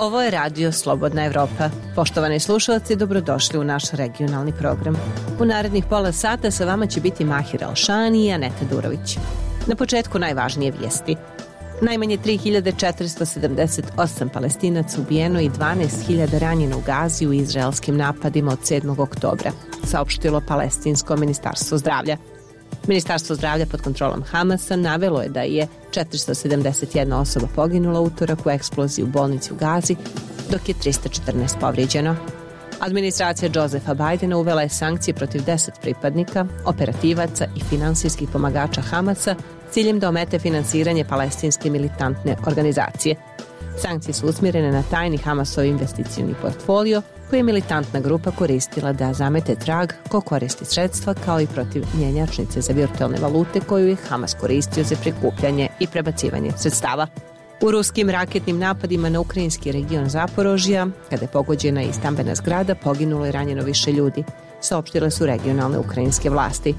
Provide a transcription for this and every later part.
Ovo je Radio Slobodna Evropa. Poštovani slušalci, dobrodošli u naš regionalni program. U narednih pola sata sa vama će biti Mahir Alšani i Aneta Durović. Na početku najvažnije vijesti. Najmanje 3478 Palestinaca ubijeno i 12.000 ranjeno u Gazi u izraelskim napadima od 7. oktobra, saopštilo Palestinsko ministarstvo zdravlja. Ministarstvo zdravlja pod kontrolom Hamasa navelo je da je 471 osoba poginula utorak u eksploziji u bolnici u Gazi, dok je 314 povrijeđeno. Administracija Josefa Bajdena uvela je sankcije protiv 10 pripadnika, operativaca i finansijskih pomagača Hamasa s ciljem da omete finansiranje palestinske militantne organizacije. Sankcije su usmjerene na tajni Hamasov investicioni portfolio koji je militantna grupa koristila da zamete trag ko koristi sredstva, kao i protiv mjenjačnice za virtualne valute koju je Hamas koristio za prikupljanje i prebacivanje sredstava. U ruskim raketnim napadima na ukrajinski region Zaporožja, kada je pogođena i stambena zgrada, poginulo i ranjeno više ljudi, saopštile su regionalne ukrajinske vlasti.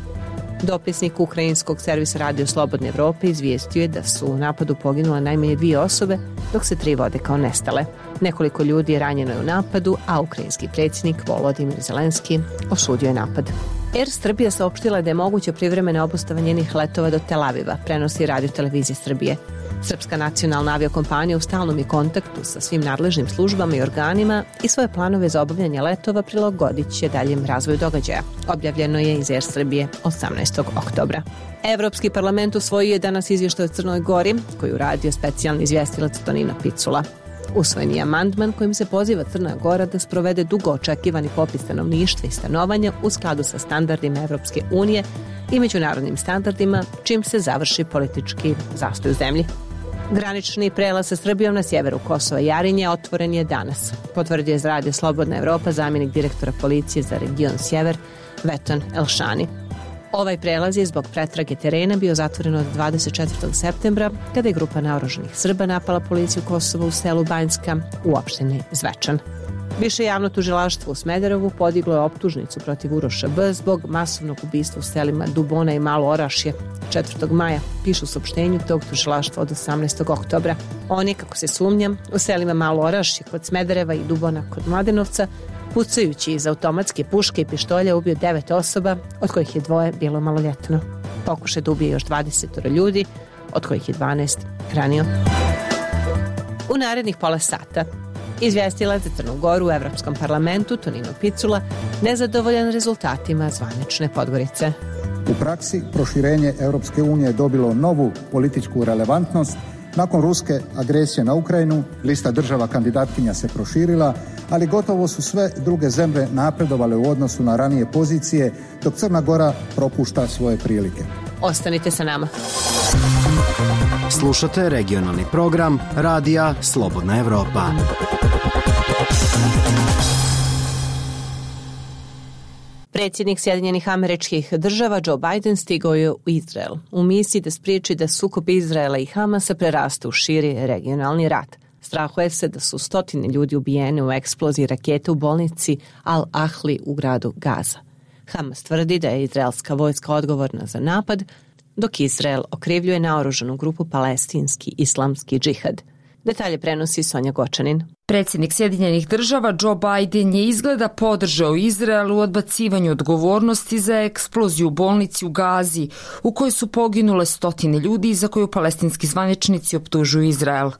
Dopisnik ukrajinskog servisa Radio Slobodne Evrope izvijestio je da su u napadu poginule najmanje 2 osobe, dok se 3 vode kao nestale. Nekoliko ljudi je ranjeno u napadu, a ukrajinski predsjednik Volodimir Zelenski osudio je napad. Air Srbija saopštila da je moguće privremena obustava njenih letova do Tel Aviva, prenosi Radio Televizija Srbije. Srpska nacionalna aviokompanija u stalnom je kontaktu sa svim nadležnim službama i organima i svoje planove za obavljanje letova prilagodit će daljem razvoju događaja. Objavljeno je iz Air Srbije 18. oktobra. Evropski parlament usvojio je danas izvještaj o Crnoj Gori, koju radio specijalni izvjestilac Tonino Picula. Usvojen je amandman kojim se poziva Crna Gora da sprovede dugo očekivani popis stanovništva i stanovanja u skladu sa standardima Evropske unije i međunarodnim standardima, čim se završi politički zastoj u zemlji. Granični prelaz sa Srbijom na sjeveru Kosova i Jarinje otvoren je danas, potvrdio je za Radio Slobodna Evropa zamjenik direktora policije za region Sjever Veton Elšani. Ovaj prelaz je zbog pretrage terena bio zatvoren od 24. septembra, kada je grupa naoružanih Srba napala policiju Kosova u selu Banjska u opštini Zvečan. Više javno tužilaštvo u Smederevu podiglo je optužnicu protiv Uroša B. zbog masovnog ubistva u selima Dubona i Malo Orašje 4. maja, pišu u saopštenju tog tužilaštva od 18. oktobra. On je, kako se sumnja, u selima Malo Orašje kod Smedereva i Dubona kod Mladenovca, pucajući iz automatske puške i pištolja ubio 9 osoba, od kojih je 2 bilo maloljetno. Pokušaj da ubije još 20 ljudi, od kojih je 12 ranio. U narednih pola sata izvjestilac za Crnu Goru u Evropskom parlamentu Tonino Picula nezadovoljan rezultatima zvanične Podgorice. U praksi proširenje Europske unije je dobilo novu političku relevantnost. Nakon ruske agresije na Ukrajinu, lista država kandidatkinja se proširila, ali gotovo su sve druge zemlje napredovale u odnosu na ranije pozicije, dok Crna Gora propušta svoje prilike. Ostanite sa nama. Slušate regionalni program Radija Slobodna Evropa. Predsjednik Sjedinjenih Američkih Država Joe Biden stigao je u Izrael u misiji da spriječi da sukob Izraela i Hamasa preraste u širi regionalni rat. Strahuje se da su 100 ljudi ubijene u eksploziji rakete u bolnici Al-Ahli u gradu Gaza. Hamas tvrdi da je izraelska vojska odgovorna za napad, dok Izrael okrivljuje naoružanu grupu Palestinski islamski džihad. Detalje prenosi Sonja Gočanin. Predsjednik Sjedinjenih Država Joe Biden je izgleda podržao Izrael u odbacivanju odgovornosti za eksploziju u bolnici u Gazi, u kojoj su poginule 100 ljudi i za koju palestinski zvaničnici optužuju Izrael.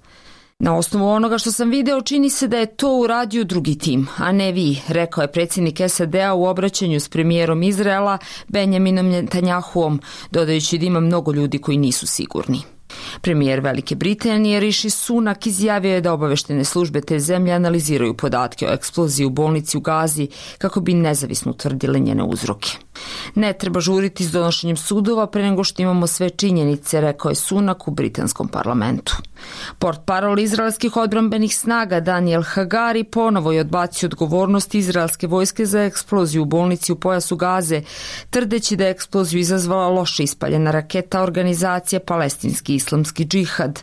Na osnovu onoga što sam video, čini se da je to uradio drugi tim, a ne vi, rekao je predsjednik SAD-a u obraćanju s premijerom Izraela Benjaminom Netanjahuom, dodajući da ima mnogo ljudi koji nisu sigurni. Premijer Velike Britanije Rishi Sunak izjavio je da obaveštene službe te zemlje analiziraju podatke o eksploziji u bolnici u Gazi kako bi nezavisno utvrdile njene uzroke. Ne treba žuriti s donošenjem sudova pre nego što imamo sve činjenice, rekao je Sunak u britanskom parlamentu. Portparol izraelskih odbrambenih snaga Daniel Hagari ponovo je odbacio odgovornost izraelske vojske za eksploziju u bolnici u pojasu Gaze, tvrdeći da je eksploziju izazvala loše ispaljena raketa organizacije Palestinski islamski džihad.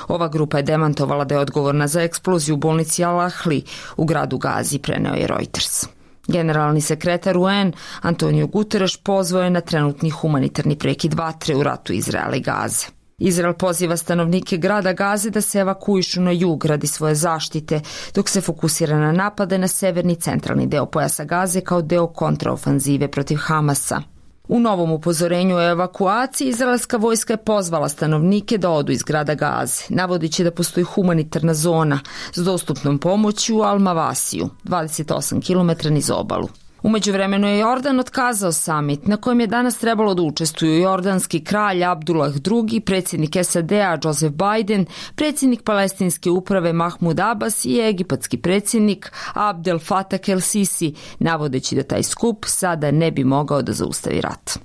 Ova grupa je demantovala da je odgovorna za eksploziju u bolnici Al-Ahli u gradu Gazi, preneo je Reuters. Generalni sekretar UN Antonio Guterres pozvao je na trenutni humanitarni prekid vatre u ratu Izraela i Gaze. Izrael poziva stanovnike grada Gaze da se evakuišu na jug radi svoje zaštite, dok se fokusira na napade na severni centralni deo pojasa Gaze kao deo kontraofanzive protiv Hamasa. U novom upozorenju o evakuaciji izraelska vojska je pozvala stanovnike da odu iz grada Gaze, navodići da postoji humanitarna zona s dostupnom pomoći u Al-Mavasiju, 28 km niz obalu. U međuvremenu je Jordan otkazao samit na kojem je danas trebalo da učestvuju jordanski kralj Abdullah II, predsjednik SAD-a Joseph Biden, predsjednik palestinske uprave Mahmud Abbas i egipatski predsjednik Abdel Fattah el-Sisi, navodeći da taj skup sada ne bi mogao da zaustavi rat.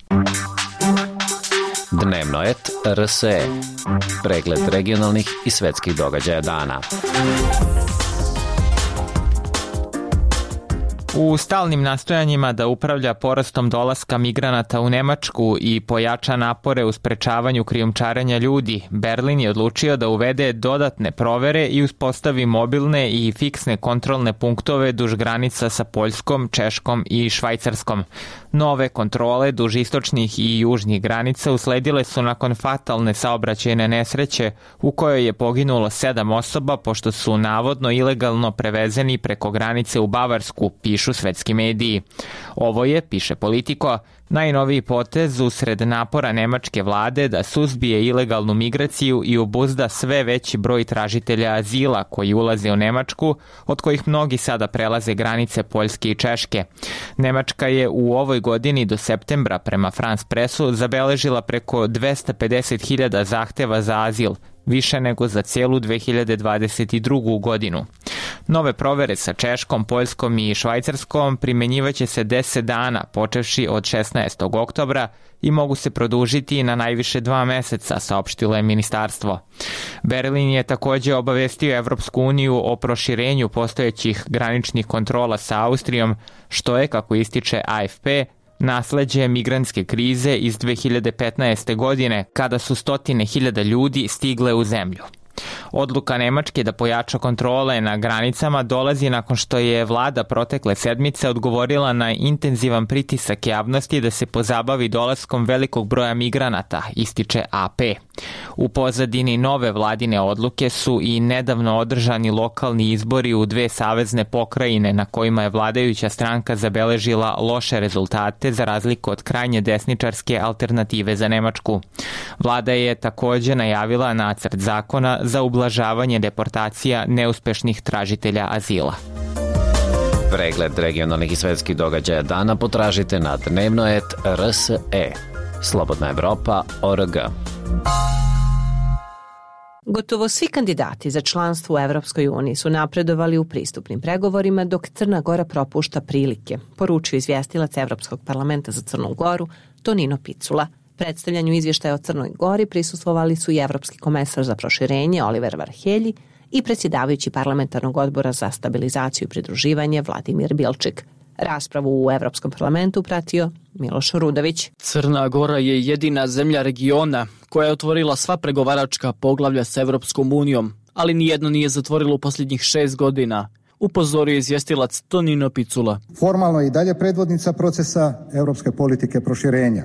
Dnevnoet RSE. Pregled regionalnih i svetskih događaja dana. U stalnim nastojanjima da upravlja porastom dolaska migranata u Nemačku i pojača napore u sprečavanju krijumčarenja ljudi, Berlin je odlučio da uvede dodatne provere i uspostavi mobilne i fiksne kontrolne punktove duž granica sa Poljskom, Češkom i Švajcarskom. Nove kontrole duž istočnih i južnih granica usledile su nakon fatalne saobraćajne nesreće u kojoj je poginulo 7 osoba pošto su navodno ilegalno prevezeni preko granice u Bavarsku, pišu svetski mediji. Ovo je, piše Politico, najnoviji potez usred napora nemačke vlade da suzbije ilegalnu migraciju i obuzda sve veći broj tražitelja azila koji ulaze u Nemačku, od kojih mnogi sada prelaze granice Poljske i Češke. Nemačka je u ovoj godini do septembra prema France Pressu zabeležila preko 250.000 zahteva za azil, više nego za cijelu 2022. godinu. Nove provere sa Češkom, Poljskom i Švajcarskom primjenjivaće se 10 dana, počevši od 16. oktobra i mogu se produžiti na najviše 2 meseca, saopštilo je ministarstvo. Berlin je također obavestio Evropsku uniju o proširenju postojećih graničnih kontrola sa Austrijom, što je, kako ističe AFP, nasleđe migrantske krize iz 2015. godine, kada su 100.000 ljudi stigle u zemlju. Odluka Nemačke da pojača kontrole na granicama dolazi nakon što je vlada protekle sedmice odgovorila na intenzivan pritisak javnosti da se pozabavi dolaskom velikog broja migranata, ističe AP. U pozadini nove vladine odluke su i nedavno održani lokalni izbori u 2 savezne pokrajine na kojima je vladajuća stranka zabeležila loše rezultate za razliku od krajnje desničarske Alternative za Nemačku. Vlada je također najavila nacrt zakona za ublažavanje deportacija neuspešnih tražitelja azila. Pregled regionalnih i svetskih događaja dana potražite na Dnevnoet RSE. Slobodna Evropa.org. Gotovo svi kandidati za članstvo u Evropskoj uniji su napredovali u pristupnim pregovorima, dok Crna Gora propušta prilike, poručio izvjestilac Evropskog parlamenta za Crnu Goru Tonino Picula. Predstavljanju izvještaja o Crnoj Gori prisustvovali su i Evropski komesar za proširenje Oliver Varhelji i predsjedavajući parlamentarnog odbora za stabilizaciju i pridruživanje Vladimir Bilčik. Raspravu u Evropskom parlamentu pratio Miloš Rudović. Crna Gora je jedina zemlja regiona koja je otvorila sva pregovaračka poglavlja s Evropskom unijom, ali nijedno nije zatvorilo u posljednjih 6 godina, upozorio izvjestilac Tonino Picula. Formalno je i dalje predvodnica procesa europske politike proširenja.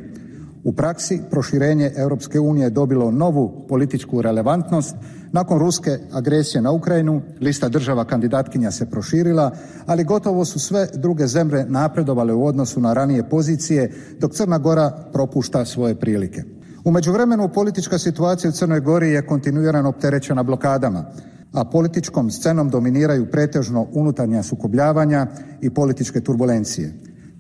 U praksi proširenje Europske unije je dobilo novu političku relevantnost. Nakon ruske agresije na Ukrajinu, lista država kandidatkinja se proširila, ali gotovo su sve druge zemlje napredovale u odnosu na ranije pozicije, dok Crna Gora propušta svoje prilike. U međuvremenu politička situacija u Crnoj Gori je kontinuirano opterećena blokadama, a političkom scenom dominiraju pretežno unutarnja sukobljavanja i političke turbulencije.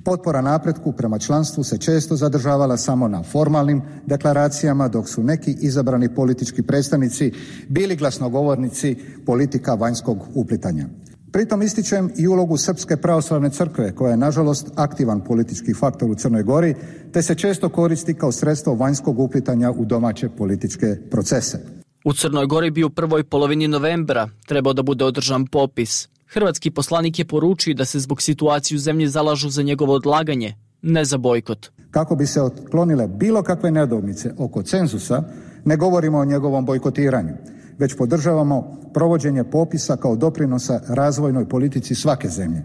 Potpora napretku prema članstvu se često zadržavala samo na formalnim deklaracijama, dok su neki izabrani politički predstavnici bili glasnogovornici politika vanjskog uplitanja. Pritom ističem i ulogu Srpske pravoslavne crkve, koja je nažalost aktivan politički faktor u Crnoj Gori, te se često koristi kao sredstvo vanjskog uplitanja u domaće političke procese. U Crnoj Gori bi u prvoj polovini novembra trebao da bude održan popis. Hrvatski poslanik je poručio da se zbog situacije u zemlji zalažu za njegovo odlaganje, ne za bojkot. Kako bi se otklonile bilo kakve nedoumice oko cenzusa, ne govorimo o njegovom bojkotiranju, već podržavamo provođenje popisa kao doprinosa razvojnoj politici svake zemlje.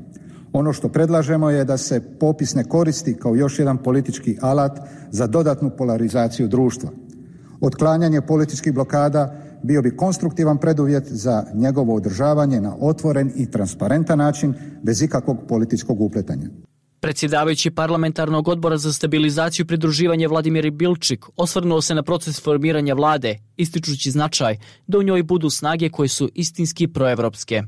Ono što predlažemo je da se popis ne koristi kao još jedan politički alat za dodatnu polarizaciju društva. Otklanjanje političkih blokada bio bi konstruktivan preduvjet za njegovo održavanje na otvoren i transparentan način bez ikakvog političkog upletanja. Predsjedavajući parlamentarnog odbora za stabilizaciju i pridruživanje Vladimir Bilčik osvrnuo se na proces formiranja vlade, ističući značaj da u njoj budu snage koje su istinski proevropske.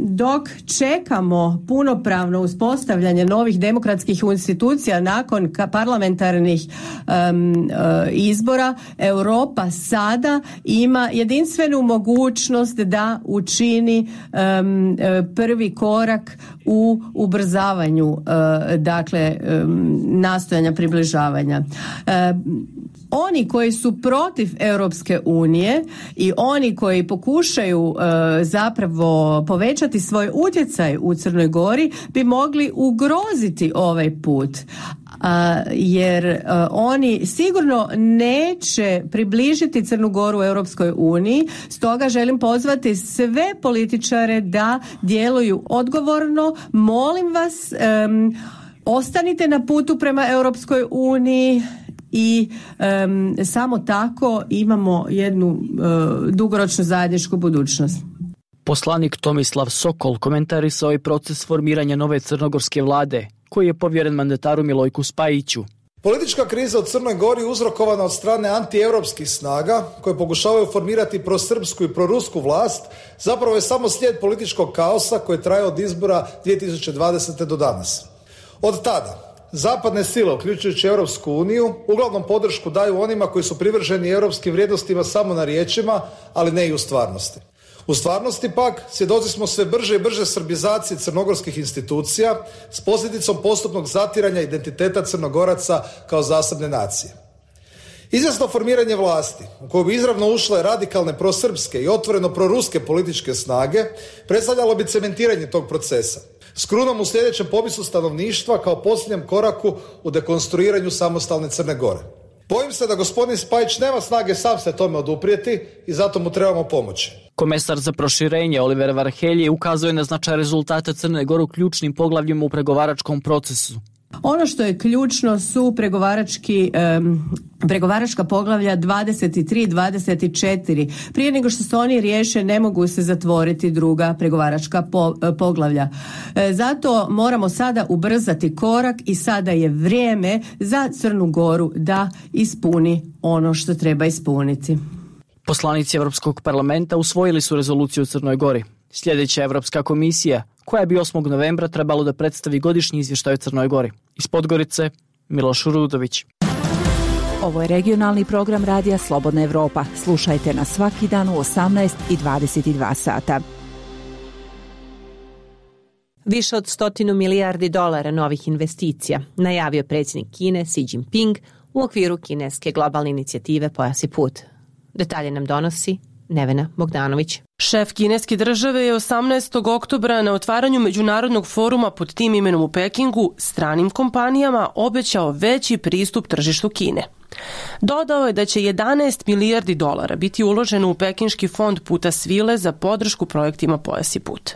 Dok čekamo punopravno uspostavljanje novih demokratskih institucija nakon parlamentarnih izbora, Europa sada ima jedinstvenu mogućnost da učini prvi korak u ubrzavanju nastojanja približavanja. Oni koji su protiv Europske unije i oni koji pokušaju zapravo povećati svoj utjecaj u Crnoj Gori bi mogli ugroziti ovaj put. Jer oni sigurno neće približiti Crnu Goru u Europskoj uniji, stoga želim pozvati sve političare da djeluju odgovorno. Molim vas, ostanite na putu prema Europskoj uniji i samo tako imamo jednu dugoročnu zajedničku budućnost. Poslanik Tomislav Sokol komentarisao je proces formiranja nove crnogorske vlade, koji je povjeren mandataru Milojku Spajiću. Politička kriza u Crnoj Gori uzrokovana od strane antieuropskih snaga koje pokušavaju formirati prosrpsku i prorusku vlast zapravo je samo slijed političkog kaosa koji traje od izbora 2020. do danas. Od tada zapadne sile, uključujući Europsku uniju, uglavnom podršku daju onima koji su privrženi europskim vrijednostima samo na riječima, ali ne i u stvarnosti. U stvarnosti pak svjedoci smo sve brže i brže srbizacije crnogorskih institucija s posljedicom postupnog zatiranja identiteta Crnogoraca kao zasebne nacije. Izvjesno formiranje vlasti u koju bi izravno ušle radikalne prosrpske i otvoreno proruske političke snage predstavljalo bi cementiranje tog procesa s krunom u sljedećem popisu stanovništva kao posljednjem koraku u dekonstruiranju samostalne Crne Gore. Bojim se da gospodin Spajić nema snage sam se tome oduprijeti i zato mu trebamo pomoći. Komesar za proširenje Oliver Varhelji ukazuje na značaj rezultata Crne Gore u ključnim poglavljima u pregovaračkom procesu. Ono što je ključno su pregovaračka poglavlja 23 i 24. Prije nego što se oni riješe ne mogu se zatvoriti druga pregovaračka poglavlja. Zato moramo sada ubrzati korak i sada je vrijeme za Crnu Goru da ispuni ono što treba ispuniti. Poslanici Europskog parlamenta usvojili su rezoluciju u Crnoj Gori. Sljedeća Europska komisija, koja bi 8. novembra trebalo da predstavi godišnji izvještaj o Crnoj Gori. Iz Podgorice, Miloš Rudović. Ovo je regionalni program Radija Slobodna Evropa. Slušajte nas svaki dan u 18 i 22 sata. Više od 100 milijardi dolara novih investicija najavio predsjednik Kine Xi Jinping u okviru kineske globalne inicijative Pojas i put. Detalje nam donosi Nevena Bogdanović. Šef kineske države je 18. oktobra na otvaranju međunarodnog foruma pod tim imenom u Pekingu stranim kompanijama obećao veći pristup tržištu Kine. Dodao je da će 11 milijardi dolara biti uloženo u pekinški fond puta svile za podršku projektima Pojas i put.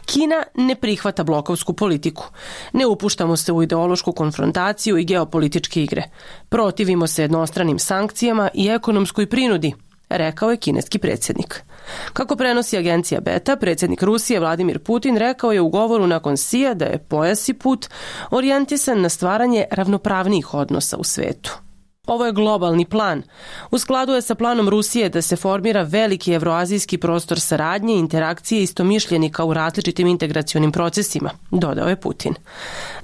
Kina ne prihvata blokovsku politiku. Ne upuštamo se u ideološku konfrontaciju i geopolitičke igre. Protivimo se jednostranim sankcijama i ekonomskoj prinudi, rekao je kineski predsjednik. Kako prenosi agencija Beta, predsjednik Rusije Vladimir Putin rekao je u govoru nakon Xija da je Pojas i put orijentisan na stvaranje ravnopravnijih odnosa u svetu. Ovo je globalni plan. U skladu je sa planom Rusije da se formira veliki evroazijski prostor saradnje i interakcije istomišljenika u različitim integracionim procesima, dodao je Putin.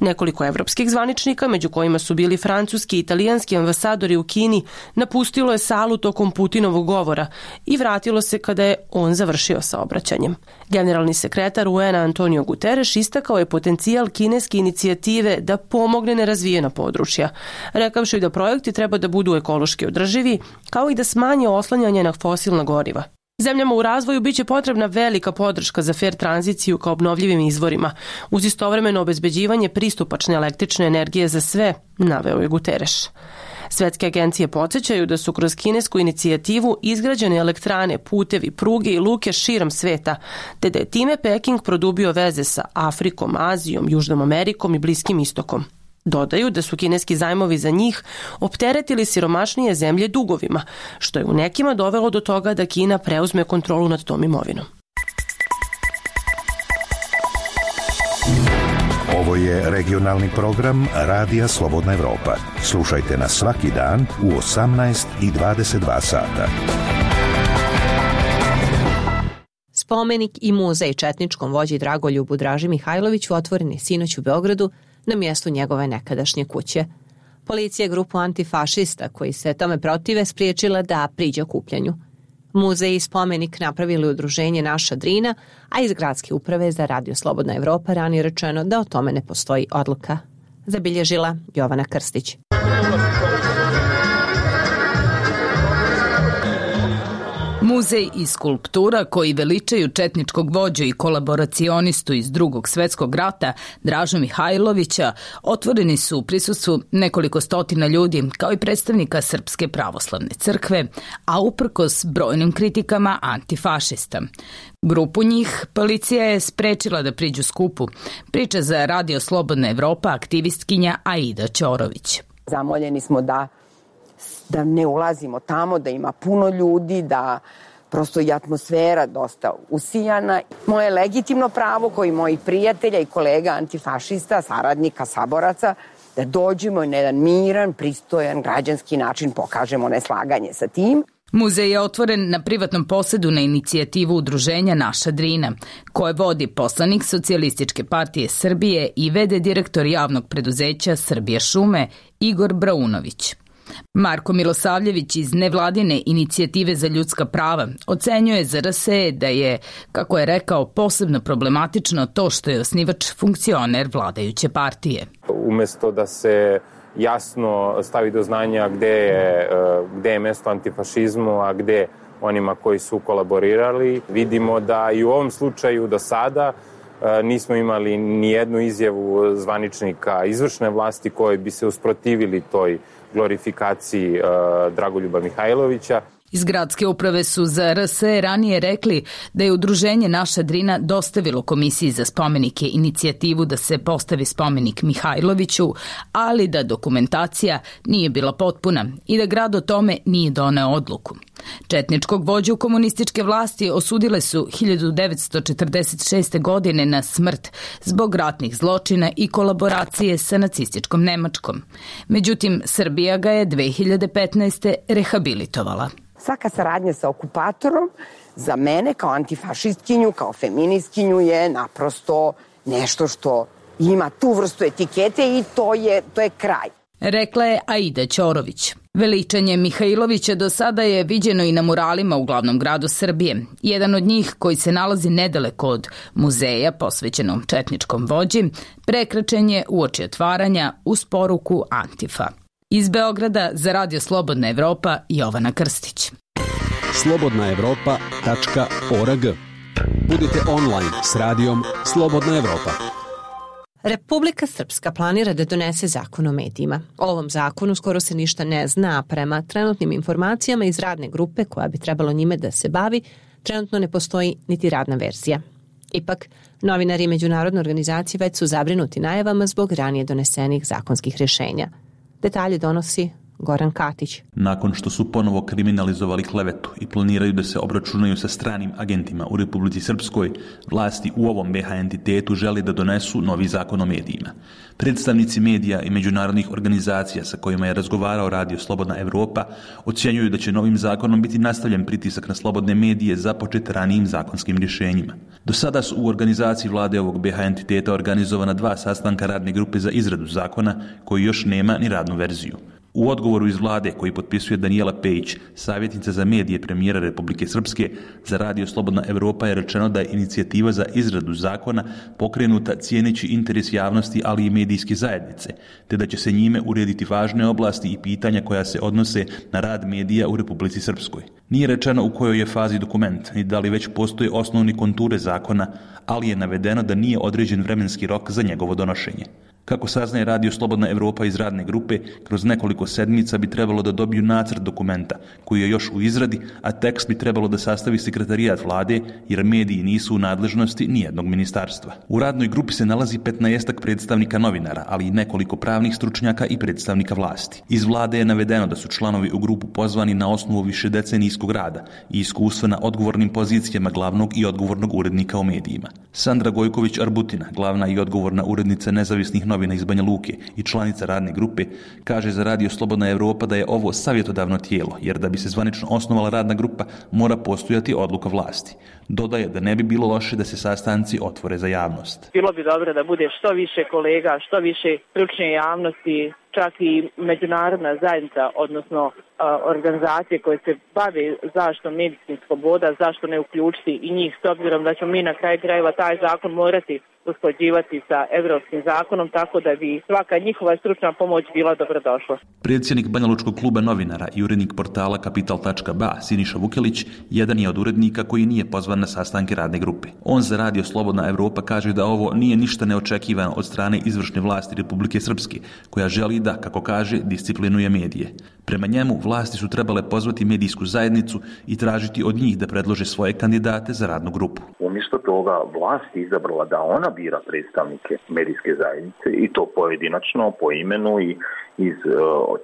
Nekoliko evropskih zvaničnika, među kojima su bili francuski i italijanski ambasadori u Kini, napustilo je salu tokom Putinovog govora i vratilo se kada je on završio sa obraćanjem. Generalni sekretar UN-a Antonio Guterres istakao je potencijal kineske inicijative da pomogne nerazvijena područja, rekavši da projekti treba da budu ekološki održivi, kao i da smanje oslanjanje na fosilna goriva. Zemljama u razvoju biće potrebna velika podrška za fair tranziciju ka obnovljivim izvorima, uz istovremeno obezbeđivanje pristupačne električne energije za sve, naveo je Guterres. Svetske agencije podsjećaju da su kroz kinesku inicijativu izgrađene elektrane, putevi, pruge i luke širom sveta, te da je time Peking produbio veze sa Afrikom, Azijom, Južnom Amerikom i Bliskim istokom. Dodaju da su kineski zajmovi za njih opteretili siromašnije zemlje dugovima, što je u nekima dovelo do toga da Kina preuzme kontrolu nad tom imovinom. Ovo je regionalni program Radija Slobodna Evropa. Slušajte nas svaki dan u 18:22 sata. Spomenik i muzej četničkom vođi Dragoljubu Draži Mihajloviću otvoren je sinoć u Beogradu na mjestu njegove nekadašnje kuće. Policija je grupu antifašista koji se tome protive spriječila da priđe okupljanju. Muzej i spomenik napravili udruženje Naša Drina, a iz gradske uprave za Radio Slobodna Evropa ranije rečeno da o tome ne postoji odluka. Zabilježila Jovana Krstić. Muzej i skulptura koji veličaju četničkog vođu i kolaboracionistu iz Drugog svjetskog rata Dražu Mihajlovića otvoreni su u prisustvu nekoliko stotina ljudi kao i predstavnika Srpske pravoslavne crkve, a uprkos brojnim kritikama antifašista. Grupu njih policija je sprečila da priđu skupu, priča za Radio Slobodna Evropa aktivistkinja Aida Ćorović. Zamoljeni smo da ne ulazimo tamo, da ima puno ljudi, da prosto i atmosfera dosta usijana. Moje legitimno pravo, koji moji prijatelja i kolega antifašista, saradnika, saboraca, da dođemo i na jedan miran, pristojan, građanski način pokažemo neslaganje sa tim. Muzej je otvoren na privatnom posedu na inicijativu udruženja Naša Drina, koje vodi poslanik Socijalističke partije Srbije i vede direktor javnog preduzeća Srbije šume Igor Braunović. Marko Milosavljević iz nevladine inicijative za ljudska prava ocenjuje za RSE da je, kako je rekao, posebno problematično to što je osnivač funkcioner vladajuće partije. Umesto da se jasno stavi do znanja gde je mesto antifašizmu, a gde onima koji su kolaborirali, vidimo da i u ovom slučaju do sada nismo imali ni jednu izjavu zvaničnika izvršne vlasti koji bi se usprotivili toj glorifikaciji Dragoljuba Mihajlovića. Iz gradske uprave su za RSE ranije rekli da je udruženje Naša Drina dostavilo Komisiji za spomenike inicijativu da se postavi spomenik Mihajloviću, ali da dokumentacija nije bila potpuna i da grad o tome nije doneo odluku. Četničkog vođu komunističke vlasti osudile su 1946. godine na smrt zbog ratnih zločina i kolaboracije sa nacističkom Nemačkom. Međutim, Srbija ga je 2015. rehabilitovala. Svaka saradnja sa okupatorom za mene kao antifašistkinju, kao feministkinju je naprosto nešto što ima tu vrstu etikete i to je kraj. Rekla je Aida Ćorović. Veličanje Mihajlovića do sada je viđeno i na muralima u glavnom gradu Srbije. Jedan od njih, koji se nalazi nedaleko od muzeja posvećenom četničkom vođi, prekračen je uoči otvaranja uz poruku Antifa. Iz Beograda za Radio Slobodna Evropa, Jovana Krstić. slobodnaevropa.org. Budite online s radijom Slobodna Evropa. Republika Srpska planira da donese zakon o medijima. O ovom zakonu skoro se ništa ne zna, a prema trenutnim informacijama iz radne grupe koja bi trebalo njime da se bavi, trenutno ne postoji niti radna verzija. Ipak, novinari i međunarodne organizacije već su zabrinuti najavama zbog ranije donesenih zakonskih rješenja. Detalje donosi Goran Katić. Nakon što su ponovo kriminalizovali klevetu i planiraju da se obračunaju sa stranim agentima u Republici Srpskoj, vlasti u ovom BH entitetu žele da donesu novi zakon o medijima. Predstavnici medija i međunarodnih organizacija sa kojima je razgovarao Radio Slobodna Evropa ocjenjuju da će novim zakonom biti nastavljen pritisak na slobodne medije započet ranijim zakonskim rješenjima. Do sada su u organizaciji vlade ovog BH entiteta organizovana 2 sastanka radne grupe za izradu zakona koji još nema ni radnu verziju. U odgovoru iz vlade koji potpisuje Danijela Pejić, savjetnica za medije premijera Republike Srpske, za Radio Slobodna Evropa je rečeno da je inicijativa za izradu zakona pokrenuta cijeneći interes javnosti, ali i medijske zajednice, te da će se njime urediti važne oblasti i pitanja koja se odnose na rad medija u Republici Srpskoj. Nije rečeno u kojoj je fazi dokument i da li već postoje osnovni konture zakona, ali je navedeno da nije određen vremenski rok za njegovo donošenje. Kako saznaje Radio Slobodna Evropa iz radne grupe, kroz nekoliko sedmica bi trebalo da dobiju nacrt dokumenta, koji je još u izradi, a tekst bi trebalo da sastavi sekretarijat vlade, jer mediji nisu u nadležnosti nijednog ministarstva. U radnoj grupi se nalazi 15 predstavnika novinara, ali i nekoliko pravnih stručnjaka i predstavnika vlasti. Iz vlade je navedeno da su članovi u grupu pozvani na osnovu višedecenijskog rada i iskustva na odgovornim pozicijama glavnog i odgovornog urednika u medijima. Sandra Gojković-Arbutina, glavna i odgovorna urednica nezavisnih novina iz Banja Luke i članica radne grupe, kaže za Radio Slobodna Evropa da je ovo savjetodavno tijelo, jer da bi se zvanično osnovala radna grupa mora postojati odluka vlasti. Dodaje da ne bi bilo loše da se sastanci otvore za javnost. Bilo bi dobro da bude što više kolega, što više stručne javnosti, čak i međunarodna zajednica, odnosno organizacije koje se bave zaštitom medijskih sloboda, zašto ne uključiti i njih, s obzirom da ćemo mi na kraju krajeva taj zakon morati usklađivati sa evropskim zakonom, tako da bi svaka njihova stručna pomoć bila dobrodošla. Predsjednik Banjalučkog kluba novinara i urednik portala Kapital.ba Siniša Vukelić jedan je od urednika koji nije pozvan na sastanke radne grupe. On za Radio Slobodna Evropa kaže da ovo nije ništa neočekivano od strane izvršne vlasti Republike Srpske, koja želi da, kako kaže, disciplinuje medije. Prema njemu, vlasti su trebale pozvati medijsku zajednicu i tražiti od njih da predlože svoje kandidate za radnu grupu. Umjesto toga vlast je izabrala da ona bira predstavnike medijske zajednice i to pojedinačno, po imenu i iz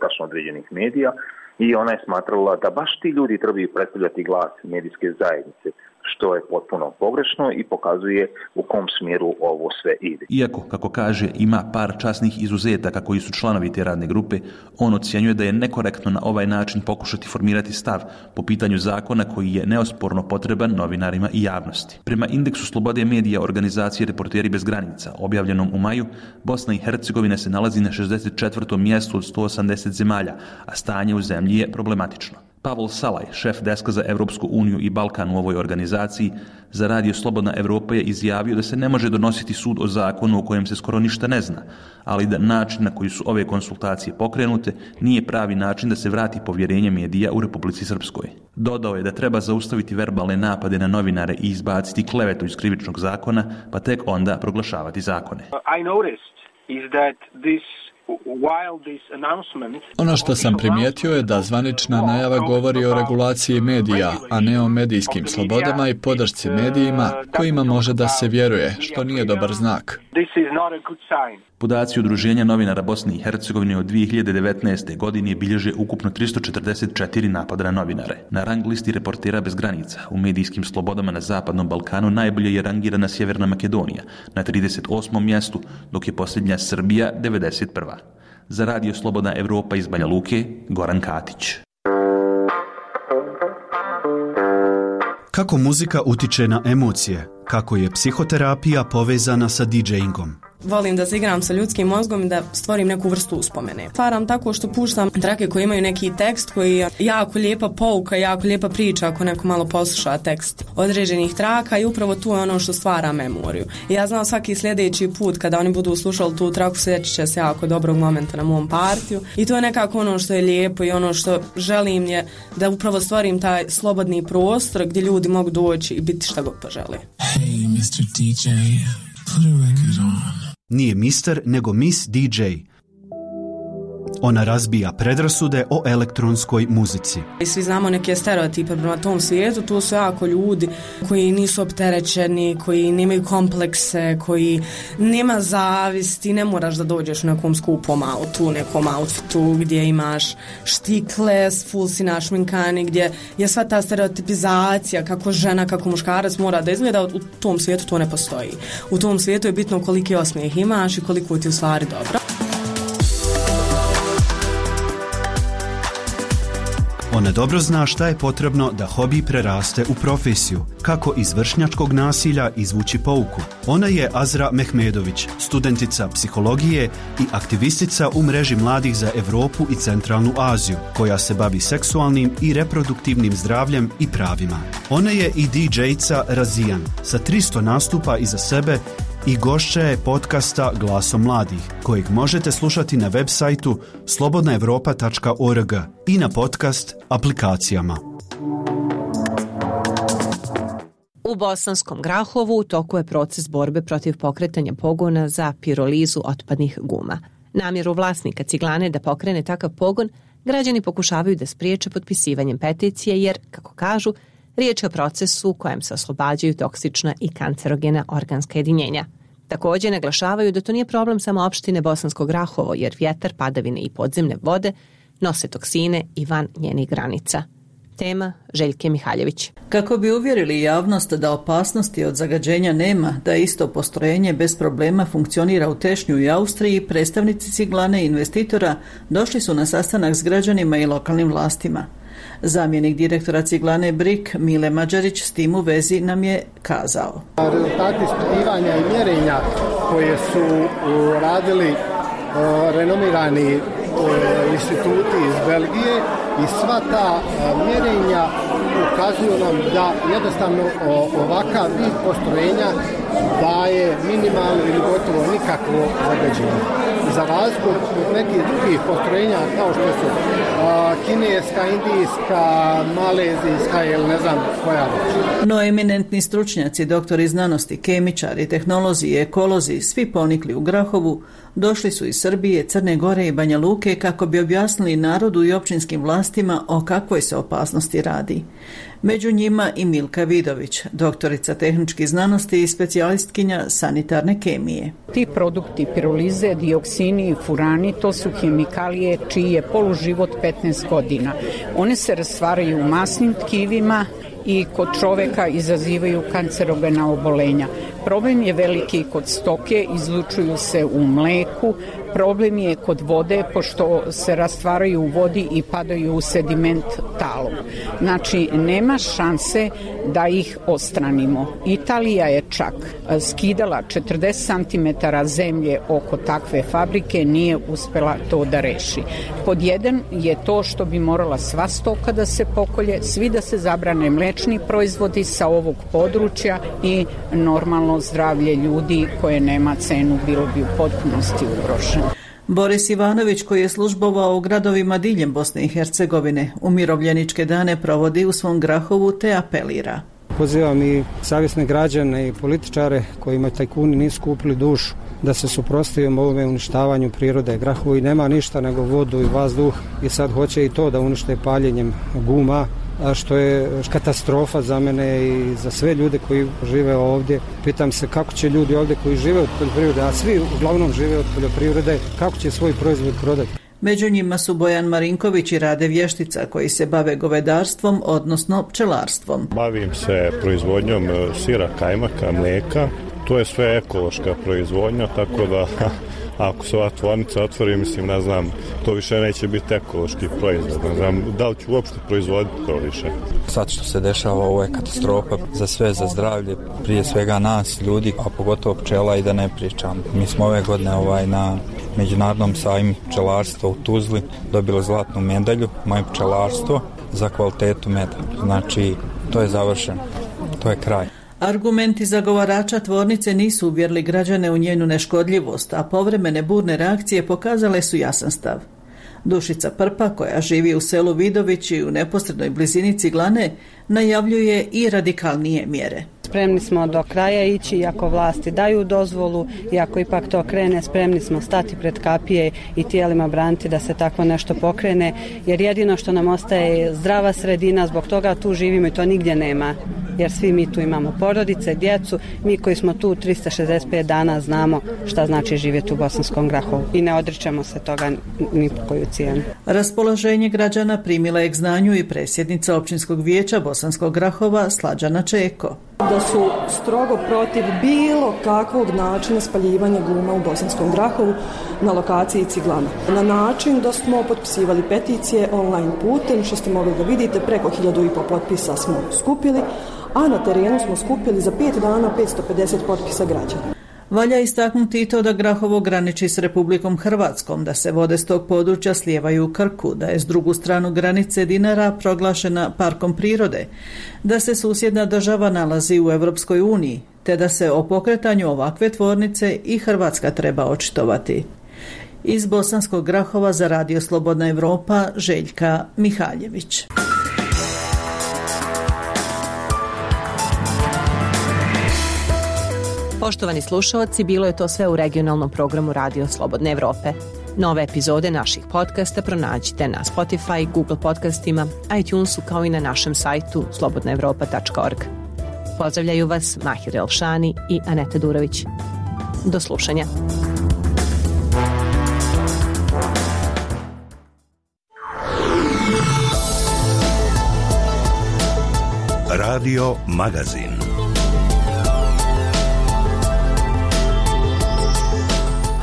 tačno određenih medija, i ona je smatrala da baš ti ljudi trebaju predstavljati glas medijske zajednice, što je potpuno pogrešno i pokazuje u kom smjeru ovo sve ide. Iako, kako kaže, ima par časnih izuzetaka koji su članovi te radne grupe, on ocjenjuje da je nekorektno na ovaj način pokušati formirati stav po pitanju zakona koji je neosporno potreban novinarima i javnosti. Prema indeksu slobode medija organizacije Reporteri bez granica, objavljenom u maju, Bosna i Hercegovina se nalazi na 64. mjestu od 180 zemalja, a stanje u zemlji je problematično. Pavol Salaj, šef deska za Evropsku uniju i Balkan u ovoj organizaciji, za Radio Slobodna Evropa je izjavio da se ne može donositi sud o zakonu o kojem se skoro ništa ne zna, ali da način na koji su ove konsultacije pokrenute nije pravi način da se vrati povjerenje medija u Republici Srpskoj. Dodao je da treba zaustaviti verbalne napade na novinare i izbaciti klevetu iz krivičnog zakona, pa tek onda proglašavati zakone. I noticed is that this Ono što sam primijetio je da zvanična najava govori o regulaciji medija, a ne o medijskim slobodama i podršci medijima kojima može da se vjeruje, što nije dobar znak. Podaci Udruženja novinara Bosne i Hercegovine od 2019. godine bilježe ukupno 344 napada na novinare. Na rang listi Reportera bez granica u medijskim slobodama na Zapadnom Balkanu najbolje je rangirana Sjeverna Makedonija na 38. mjestu, dok je posljednja Srbija 91. Za Radio Slobodna Evropa iz Banja Luke, Goran Katić. Kako muzika utiče na emocije? Kako je psihoterapija povezana sa DJ-ingom? Volim da se igram sa ljudskim mozgom i da stvorim neku vrstu uspomene. Stvaram tako što puštam trake koje imaju neki tekst koji je jako lijepa pouka, jako lijepa priča ako neko malo posluša tekst određenih traka i upravo tu je ono što stvara memoriju. I ja znam svaki sljedeći put kada oni budu slušali tu traku sjećat će se jako dobrog momenta na mom partiju i to je nekako ono što je lijepo i ono što želim je da upravo stvorim taj slobodni prostor gdje ljudi mogu doći i biti šta god požele. Hey, Mr. DJ, put a record on. Nije mister, nego Miss DJ. Ona razbija predrasude o elektronskoj muzici. I svi znamo neke stereotipe prema tom svijetu, tu su jako ljudi koji nisu opterećeni, koji nemaju komplekse, koji nema zavisti, ne moraš da dođeš u nekom skupom autu, nekom outfitu gdje imaš štikle, full si našminkani, gdje je sva ta stereotipizacija kako žena, kako muškarac mora da izgleda, u tom svijetu to ne postoji. U tom svijetu je bitno koliki osmijeh imaš i koliko ti u stvari dobro. Ona dobro zna šta je potrebno da hobi preraste u profesiju, kako iz vršnjačkog nasilja izvući pouku. Ona je Azra Mehmedović, studentica psihologije i aktivistica u mreži mladih za Europu i Centralnu Aziju, koja se bavi seksualnim i reproduktivnim zdravljem i pravima. Ona je i DJ-ca Razijan, sa 300 nastupa iza sebe i gošća je podcasta Glasom mladih, kojeg možete slušati na web sajtu slobodnaevropa.org i na podcast aplikacijama. u Bosanskom Grahovu u toku je proces borbe protiv pokretanja pogona za pirolizu otpadnih guma. Namjeru vlasnika ciglane da pokrene takav pogon građani pokušavaju da spriječe potpisivanjem peticije jer, kako kažu, riječ je o procesu u kojem se oslobađaju toksična i kancerogena organska jedinjenja. Također naglašavaju da to nije problem samo opštine Bosansko Grahovo jer vjetar, padavine i podzemne vode nose toksine i van njenih granica. Tema Željke Mihaljević. Kako bi uvjerili javnost da opasnosti od zagađenja nema, da isto postrojenje bez problema funkcionira u Tešnju i Austriji, predstavnici ciglane i investitora došli su na sastanak s građanima i lokalnim vlastima. Zamjenik direktora ciglane BRIK Mile Mađarić s tim u vezi nam je kazao. Rezultati ispitivanja i mjerenja koje su radili renomirani instituti iz Belgije i sva ta mjerenja ukazuju nam da jednostavno ovakav vid postrojenja daje minimalno ili gotovo nikakvo zagađenje. Za razliku od nekih drugih postrojenja kao što su kineska, indijska, malezijska ili ne znam koja već. No eminentni stručnjaci, doktori znanosti, kemičari, tehnolozi i ekolozi, svi ponikli u Grahovu, došli su iz Srbije, Crne Gore i Banja Luke kako bi objasnili narodu i općinskim vlastima o kakvoj se opasnosti radi. Među njima i Milka Vidović, doktorica tehničkih znanosti i specijalistkinja sanitarne kemije. Ti produkti pirolize, dioksini i furani, to su hemikalije čiji je poluživot 15 godina. One se rastvaraju u masnim tkivima i kod čoveka izazivaju kancerogena obolenja. Problem je veliki kod stoke, izlučuju se u mleku. Problem je kod vode, pošto se rastvaraju u vodi i padaju u sediment talog. Znači, nema šanse da ih odstranimo. Italija je čak skidala 40 cm zemlje oko takve fabrike, nije uspela to da reši. Pod jedan je to što bi morala sva stoka da se pokolje, svi da se zabrane mlečni proizvodi sa ovog područja i normalno zdravlje ljudi koje nema cenu bilo bi u potpunosti ugroženo. Boris Ivanović, koji je službovao u gradovima diljem Bosne i Hercegovine, umirovljeničke dane provodi u svom Grahovu te apelira. Pozivam i savjesne građane i političare kojima tajkuni nisu kupili dušu da se suprotstavimo ovome uništavanju prirode. Grahovo i nema ništa nego vodu i vazduh i sad hoće i to da unište paljenjem guma, a što je katastrofa za mene i za sve ljude koji žive ovdje. Pitam se kako će ljudi ovdje koji žive od poljoprivrede, a svi uglavnom žive od poljoprivrede, kako će svoj proizvod prodati. Među njima su Bojan Marinković i Rade Vještica koji se bave govedarstvom, odnosno pčelarstvom. Bavim se proizvodnjom sira, kajmaka, mlijeka. To je sve ekološka proizvodnja, tako da ako se ova tvornica otvori, mislim, ne znam, to više neće biti ekološki proizvod. Ne znam, da li ću uopšte proizvoditi to više. Sad što se dešava, ovo je katastrofa za sve, za zdravlje, prije svega nas, ljudi, a pogotovo pčela i da ne pričam. Mi smo ove godine na Međunarodnom sajmu pčelarstva u Tuzli dobili zlatnu medalju, moje pčelarstvo, za kvalitetu meda. Znači, to je završeno, to je kraj. Argumenti zagovarača tvornice nisu uvjerili građane u njenu neškodljivost, a povremene burne reakcije pokazale su jasan stav. Dušica Prpa, koja živi u selu Vidović i u neposrednoj blizini ciglane, najavljuje i radikalnije mjere. Spremni smo do kraja ići, iako vlasti daju dozvolu, i ako ipak to krene, spremni smo stati pred kapije i tijelima braniti da se takvo nešto pokrene, jer jedino što nam ostaje je zdrava sredina, zbog toga tu živimo i to nigdje nema, jer svi mi tu imamo porodice, djecu, mi koji smo tu 365 dana znamo šta znači živjeti u Bosanskom Grahovu i ne odričemo se toga ni po koju cijenu. Raspoloženje građana primila je k znanju i predsjednica općinskog vijeća Bosanskog Grahova Slađana Čeko. Da su strogo protiv bilo kakvog načina spaljivanja guma u Bosanskom Grahovu na lokaciji ciglana. Na način da smo potpisivali peticije online putem, što ste mogli da vidite, preko 1500 potpisa smo skupili, a na terenu smo skupili za 5 dana 550 potpisa građana. Valja istaknuti i to da Grahovo graniči s Republikom Hrvatskom, da se vode s tog područja slijevaju u Krku, da je s drugu stranu granice Dinara proglašena parkom prirode, da se susjedna država nalazi u Europskoj uniji, te da se o pokretanju ovakve tvornice i Hrvatska treba očitovati. Iz Bosanskog Grahova za Radio Slobodna Evropa, Željka Mihaljević. Poštovani slušalci, bilo je to sve u regionalnom programu Radio Slobodne Evrope. Nove epizode naših podcasta pronađite na Spotify, Google podcastima, iTunesu kao i na našem sajtu slobodnaevropa.org. Pozdravljaju vas Mahir Elšani i Aneta Durović. Do slušanja. Radio Magazin.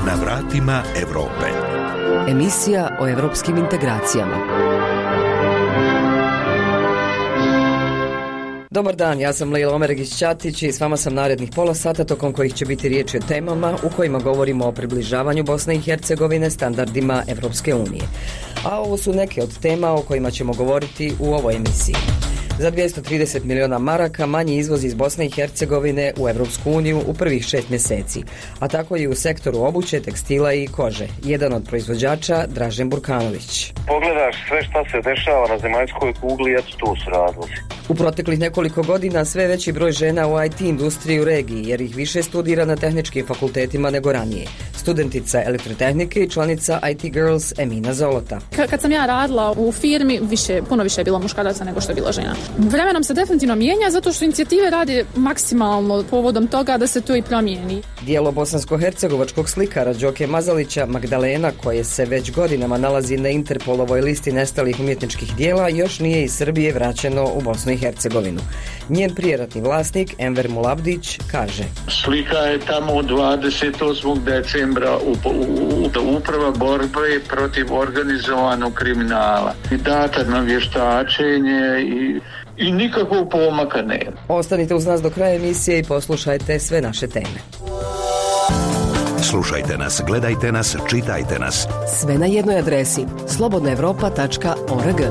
Na vratima Evrope. Emisija o evropskim integracijama. Dobar dan, ja sam Lejla Omeregić-Ćatić i s vama sam narednih pola sata tokom kojih će biti riječi o temama u kojima govorimo o približavanju Bosne i Hercegovine standardima Evropske unije. A ovo su neke od tema o kojima ćemo govoriti u ovoj emisiji. Za 230 miliona maraka manji izvoz iz Bosne i Hercegovine u Evropsku uniju u prvih 6 mjeseci, a tako i u sektoru obuće, tekstila i kože. Jedan od proizvođača, Dražen Burkanović. Pogledaš sve šta se dešava na zemaljskoj kugli, eto tu su razlozi. U proteklih nekoliko godina sve veći broj žena u IT industriji u regiji, jer ih više studira na tehničkim fakultetima nego ranije. Studentica elektrotehnike i članica IT Girls Emina Zolota. Kad sam ja radila u firmi, puno više je bilo muškaraca nego što je bilo žena. Vremenom se definitivno mijenja zato što inicijative radi maksimalno povodom toga da se to i promijeni. Dijelo bosansko-hercegovačkog slikara Đoke Mazalića, Magdalena, koje se već godinama nalazi na Interpolovoj listi nestalih umjetničkih dijela, još nije iz Srbije vraćeno u Bosnu i Hercegovinu. Njen prijeratni vlasnik, Enver Mulabdić, kaže: Slika je tamo 28. decembra uprava borbe protiv organizovanog kriminala. I data na vještačenje i nikakvog pomaka nema. Ostanite uz nas do kraja emisije i poslušajte sve naše teme. Slušajte nas, gledajte nas, čitajte nas. Sve na jednoj adresi slobodnaevropa.org.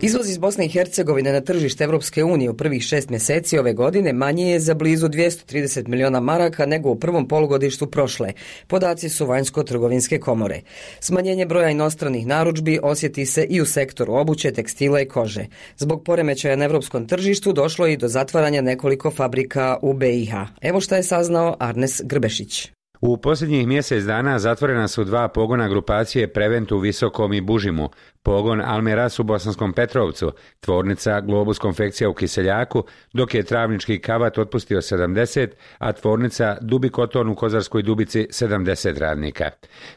Izvoz iz Bosne i Hercegovine na tržište Evropske unije u prvih 6 mjeseci ove godine manji je za blizu 230 miliona maraka nego u prvom polugodištu prošle. Podaci su Vanjsko-trgovinske komore. Smanjenje broja inostranih narudžbi osjeti se i u sektoru obuće, tekstila i kože. Zbog poremećaja na evropskom tržištu došlo je i do zatvaranja nekoliko fabrika u BiH. Evo šta je saznao Arnes Grbešić. U posljednjih mjesec dana zatvorena su 2 pogona grupacije Prevent u Visokom i Bužimu, pogon Almeras u Bosanskom Petrovcu, tvornica Globus konfekcija u Kiseljaku, dok je travnički Kavat otpustio 70, a tvornica Dubi Koton u Kozarskoj Dubici 70 radnika.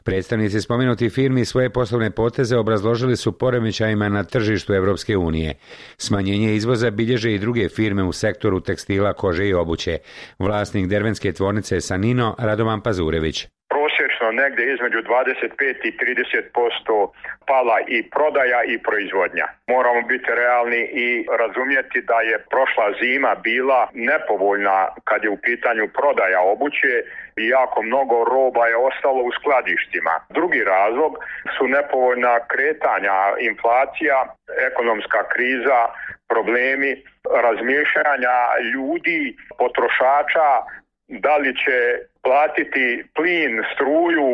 Predstavnici spomenutih firmi svoje poslovne poteze obrazložili su poremećajima na tržištu Evropske unije. Smanjenje izvoza bilježe i druge firme u sektoru tekstila, kože i obuće. Vlasnik dervenske tvornice Sanino, Radovan Pazurević. Prosječno negdje između 25 i 30% pala i prodaja i proizvodnja. Moramo biti realni i razumjeti da je prošla zima bila nepovoljna kad je u pitanju prodaja obuće i jako mnogo roba je ostalo u skladištima. Drugi razlog su nepovoljna kretanja, inflacija, ekonomska kriza, problemi razmišljanja ljudi, potrošača, da li će platiti plin, struju,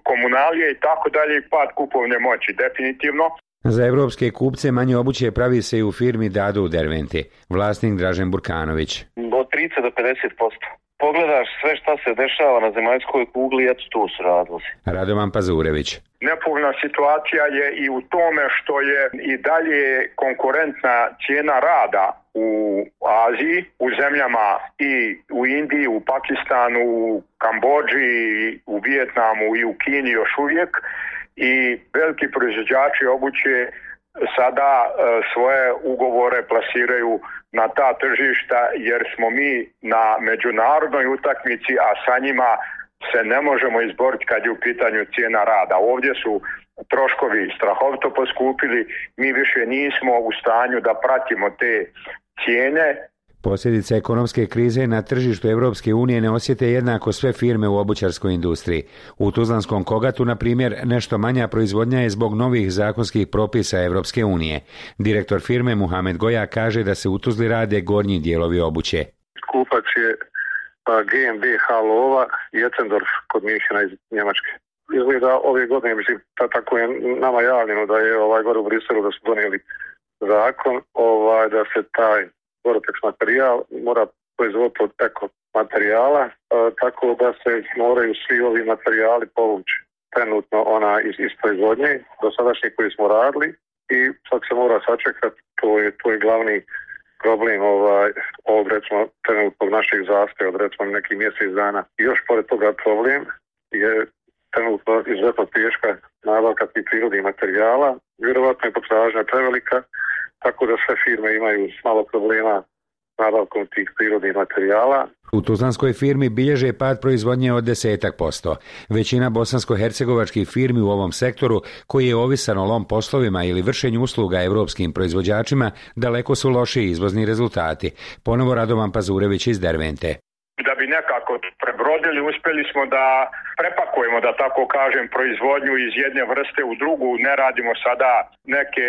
komunalije i tako dalje, pad kupovne moći, definitivno. Za evropske kupce manje obuće pravi se i u firmi Dadu u Derventi. Vlasnik Dražen Burkanović. Od 30 do 50%. Pogledaš sve šta se dešava na zemaljskoj kugli, eto tu su razlozi. Radovan Pazurević. Nepovoljna situacija je i u tome što je i dalje konkurentna cijena rada u Aziji, u zemljama i u Indiji, u Pakistanu, u Kambodži, u Vijetnamu i u Kini još uvijek, i veliki proizvođači obuće sada svoje ugovore plasiraju na ta tržišta jer smo mi na međunarodnoj utakmici, a sa njima se ne možemo izboriti kad je u pitanju cijena rada. Ovdje su troškovi strahovito poskupili, mi više nismo u stanju da pratimo te cijene. Posljedice ekonomske krize na tržištu Evropske unije ne osjete jednako sve firme u obućarskoj industriji. U Tuzlanskom Kogatu, na primjer, nešto manja proizvodnja je zbog novih zakonskih propisa Evropske unije. Direktor firme Muhamed Goja kaže da se u Tuzli rade gornji dijelovi obuće. Kupac je GmbH Lova i Etzendorf kod Minhena iz Njemačke. Izgleda ove godine, mislim, tako je nama javljeno da je gore u Briselu da su donijeli zakon da se taj Gore-Tex materijal mora proizvoditi od eko materijala, tako da se moraju svi ovi materijali povući trenutno iz proizvodnje dosadašnji koji smo radili i sad se mora sačekati, to je glavni problem ovog recimo trenutnog našeg zastoja od recimo nekih mjesec dana. I još pored toga problem je trenutno izuzetno teška nabavka tih prirodnih materijala, vjerovatno je potražnja prevelika, tako da sve firme imaju malo problema s nabavkom tih prirodnih materijala. U tuzlanskoj firmi bilježe pad proizvodnje od 10%. Većina bosansko-hercegovačkih firmi u ovom sektoru, koji je ovisan o lom poslovima ili vršenju usluga evropskim proizvođačima, daleko su lošiji izvozni rezultati. Ponovo Radovan Pazurević iz Dervente. Da bi nekako prebrodili, uspjeli smo da prepakujemo, da tako kažem, proizvodnju iz jedne vrste u drugu. Ne radimo sada neke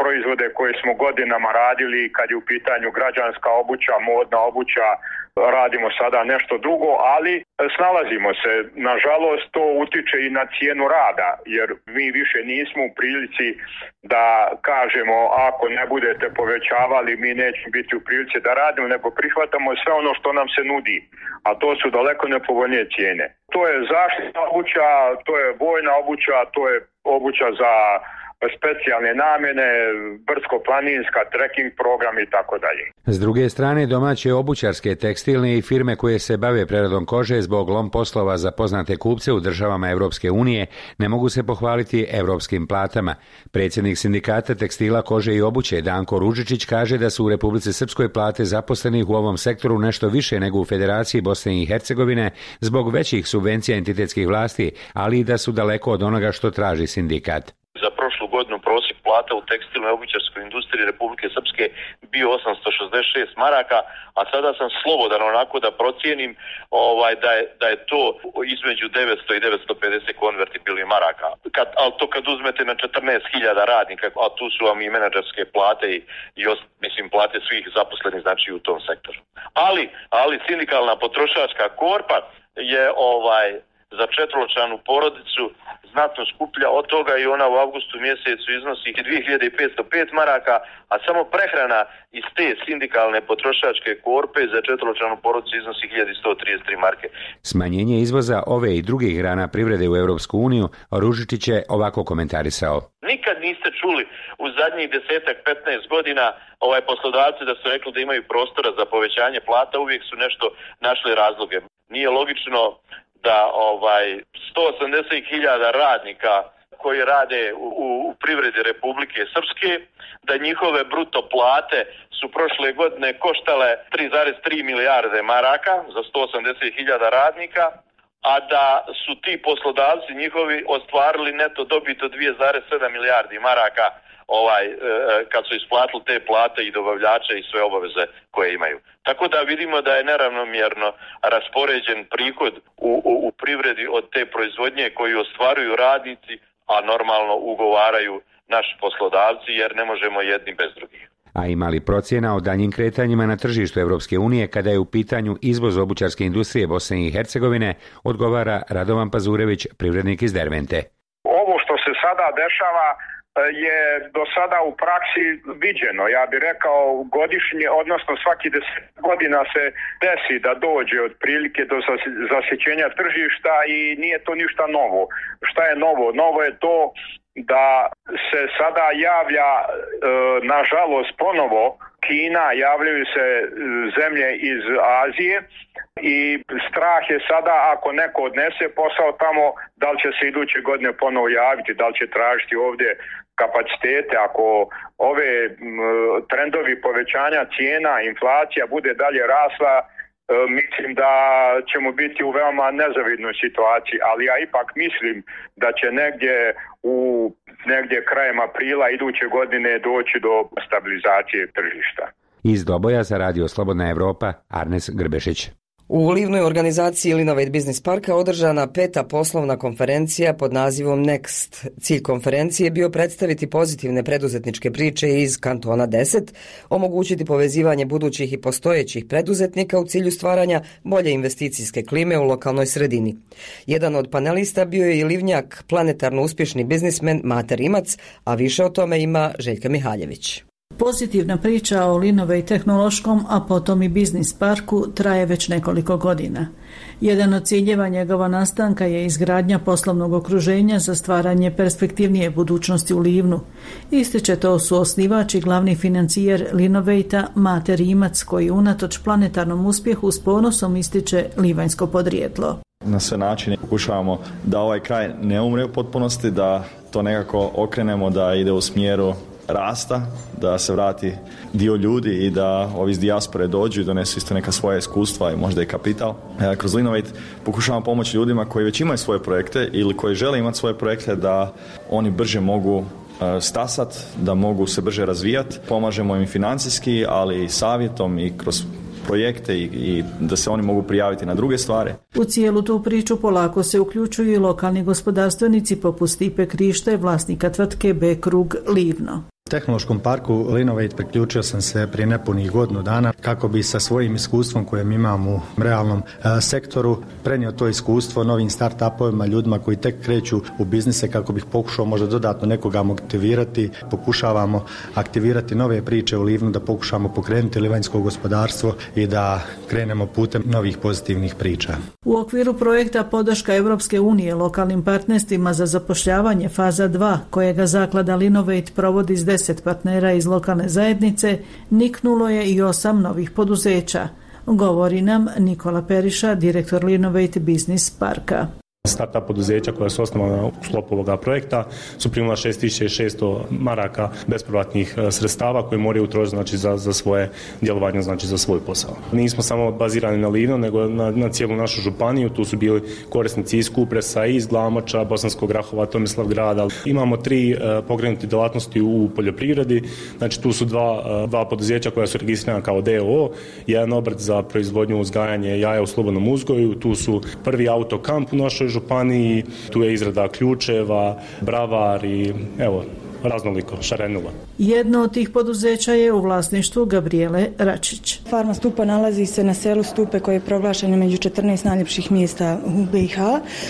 proizvode koje smo godinama radili kad je u pitanju građanska obuća, modna obuća, radimo sada nešto drugo, ali snalazimo se. Nažalost, to utiče i na cijenu rada, jer mi više nismo u prilici da kažemo ako ne budete povećavali, mi nećemo biti u prilici da radimo, nego prihvatamo sve ono što nam se nudi, a to su daleko nepovoljnije cijene. To je zaštitna obuća, to je vojna obuća, to je obuća za specijalne namjene, brdsko-planinska, trekking program i tako dalje. S druge strane, domaće obućarske, tekstilne i firme koje se bave preradom kože zbog lom poslova za poznate kupce u državama Evropske unije ne mogu se pohvaliti evropskim platama. Predsjednik sindikata tekstila, kože i obuće Danko Ružičić kaže da su u Republici Srpskoj plate zaposlenih u ovom sektoru nešto više nego u Federaciji Bosne i Hercegovine zbog većih subvencija entitetskih vlasti, ali i da su daleko od onoga što traži sindikat. Za prošlu godinu prosjek plata u tekstilnoj i obućarskoj industriji Republike Srpske bio 866 maraka, a sada sam slobodan onako da procijenim da je to između 900 i 950 konvertibilnih maraka. Ali to kad uzmete na 14.000 radnika, a tu su vam i menadžerske plate i plate svih zaposlenih znači u tom sektoru. Ali sindikalna potrošačka korpa je za četveročlanu porodicu znatno skuplja od toga i ona u avgustu mjesecu iznosi 2505 maraka, a samo prehrana iz te sindikalne potrošačke korpe za četveročlanu porodicu iznosi 1133 marke. Smanjenje izvoza ove i drugih grana privrede u Europsku uniju Ružičić je ovako komentarisao. Nikad niste čuli u zadnjih 10-15 godina poslodavci da su rekli da imaju prostora za povećanje plata, uvijek su nešto našli razloge. Nije logično da 180.000 radnika koji rade u privredi Republike Srpske, da njihove bruto plate su prošle godine koštale 3,3 milijarde maraka za 180.000 radnika, a da su ti poslodavci njihovi ostvarili neto dobit od 2,7 milijardi maraka kad su isplatili te plate i dobavljače i sve obaveze koje imaju. Tako da vidimo da je neravnomjerno raspoređen prihod u privredi od te proizvodnje koju ostvaruju radnici, a normalno ugovaraju naši poslodavci jer ne možemo jedni bez drugih. A ima li procjena o daljnjim kretanjima na tržištu Evropske unije kada je u pitanju izvoz obućarske industrije Bosne i Hercegovine, odgovara Radovan Pazurević, privrednik iz Dervente. Ovo što se sada dešava je do sada u praksi viđeno. Ja bih rekao godišnje, odnosno svaki 10 godina se desi da dođe otprilike do zasićenja tržišta i nije to ništa novo. Šta je novo? Novo je to da se sada javlja, nažalost ponovo, Kina, javljaju se zemlje iz Azije i strah je sada ako neko odnese posao tamo, da li će se iduće godine ponovo javiti, da li će tražiti ovdje kapacitete. Ako ove trendovi povećanja cijena, inflacija bude dalje rasla, mislim da ćemo biti u veoma nezavidnoj situaciji, ali ja ipak mislim da će negdje krajem aprila iduće godine doći do stabilizacije tržišta. Iz Doboja za Radio Slobodna Evropa, Arnes Grbešić. U livnoj organizaciji Linovate Business Parka održana 5. poslovna konferencija pod nazivom Next. Cilj konferencije je bio predstaviti pozitivne preduzetničke priče iz kantona 10, omogućiti povezivanje budućih i postojećih preduzetnika u cilju stvaranja bolje investicijske klime u lokalnoj sredini. Jedan od panelista bio je i livnjak, planetarno uspješni biznismen Mate Rimac, a više o tome ima Željka Mihaljević. Pozitivna priča o Linovate tehnološkom, a potom i biznis parku traje već nekoliko godina. Jedan od ciljeva njegova nastanka je izgradnja poslovnog okruženja za stvaranje perspektivnije budućnosti u Livnu. Ističe to suosnivač i glavni financijer Linovate-a Mate Rimac, koji unatoč planetarnom uspjehu s ponosom ističe livanjsko podrijetlo. Na sve načine pokušavamo da ovaj kraj ne umre u potpunosti, da to nekako okrenemo, da ide u smjeru rasta, da se vrati dio ljudi i da ovi iz dijaspore dođu i donesu isto neka svoja iskustva i možda i kapital. Kroz Linovate pokušavamo pomoći ljudima koji već imaju svoje projekte ili koji žele imati svoje projekte da oni brže mogu stasat, da mogu se brže razvijati. Pomažemo im financijski, ali i savjetom i kroz projekte i da se oni mogu prijaviti na druge stvari. U cijelu tu priču polako se uključuju i lokalni gospodarstvenici poput Stipe Krište, vlasnika tvrtke B-Krug Livno. Tehnološkom parku Linovate priključio sam se prije nepunih godinu dana kako bi sa svojim iskustvom kojem imam u realnom sektoru prenio to iskustvo novim start-upovima, ljudima koji tek kreću u biznise, kako bih pokušao možda dodatno nekoga motivirati. Pokušavamo aktivirati nove priče u Livnu, da pokušamo pokrenuti livanjsko gospodarstvo i da krenemo putem novih pozitivnih priča. U okviru projekta podrška Europske unije lokalnim partnerstvima za zapošljavanje faza 2, kojega zaklada Linovate provodi s 10 partnera iz lokalne zajednice, niknulo je i 8 novih poduzeća, govori nam Nikola Periša, direktor Linovate Biznis Parka. Startup poduzeća koja su osnovana u sklopu ovoga projekta su primila 6600 maraka bespovratnih sredstava koje moraju utrošiti, znači, za svoje djelovanje, znači za svoj posao. Nismo samo bazirani na Livno, nego na cijelu našu županiju. Tu su bili korisnici iz Kupresa, iz Glamoča, Bosanskog Grahova, Tomislavgrada. Imamo 3 pokrenute djelatnosti u poljoprivredi. Znači, tu su dva poduzeća koja su registrirana kao DOO, jedan obrt za proizvodnju uzgajanje jaja u slobodnom uzgoju. Tu su prvi autokamp u našoj županiji, tu je izrada ključeva, bravar i evo, raznoliko, šarenula. Jedno od tih poduzeća je u vlasništvu Gabriele Račić. Farma Stupa nalazi se na selu Stupe koje je proglašeno među 14 najljepših mjesta u BiH.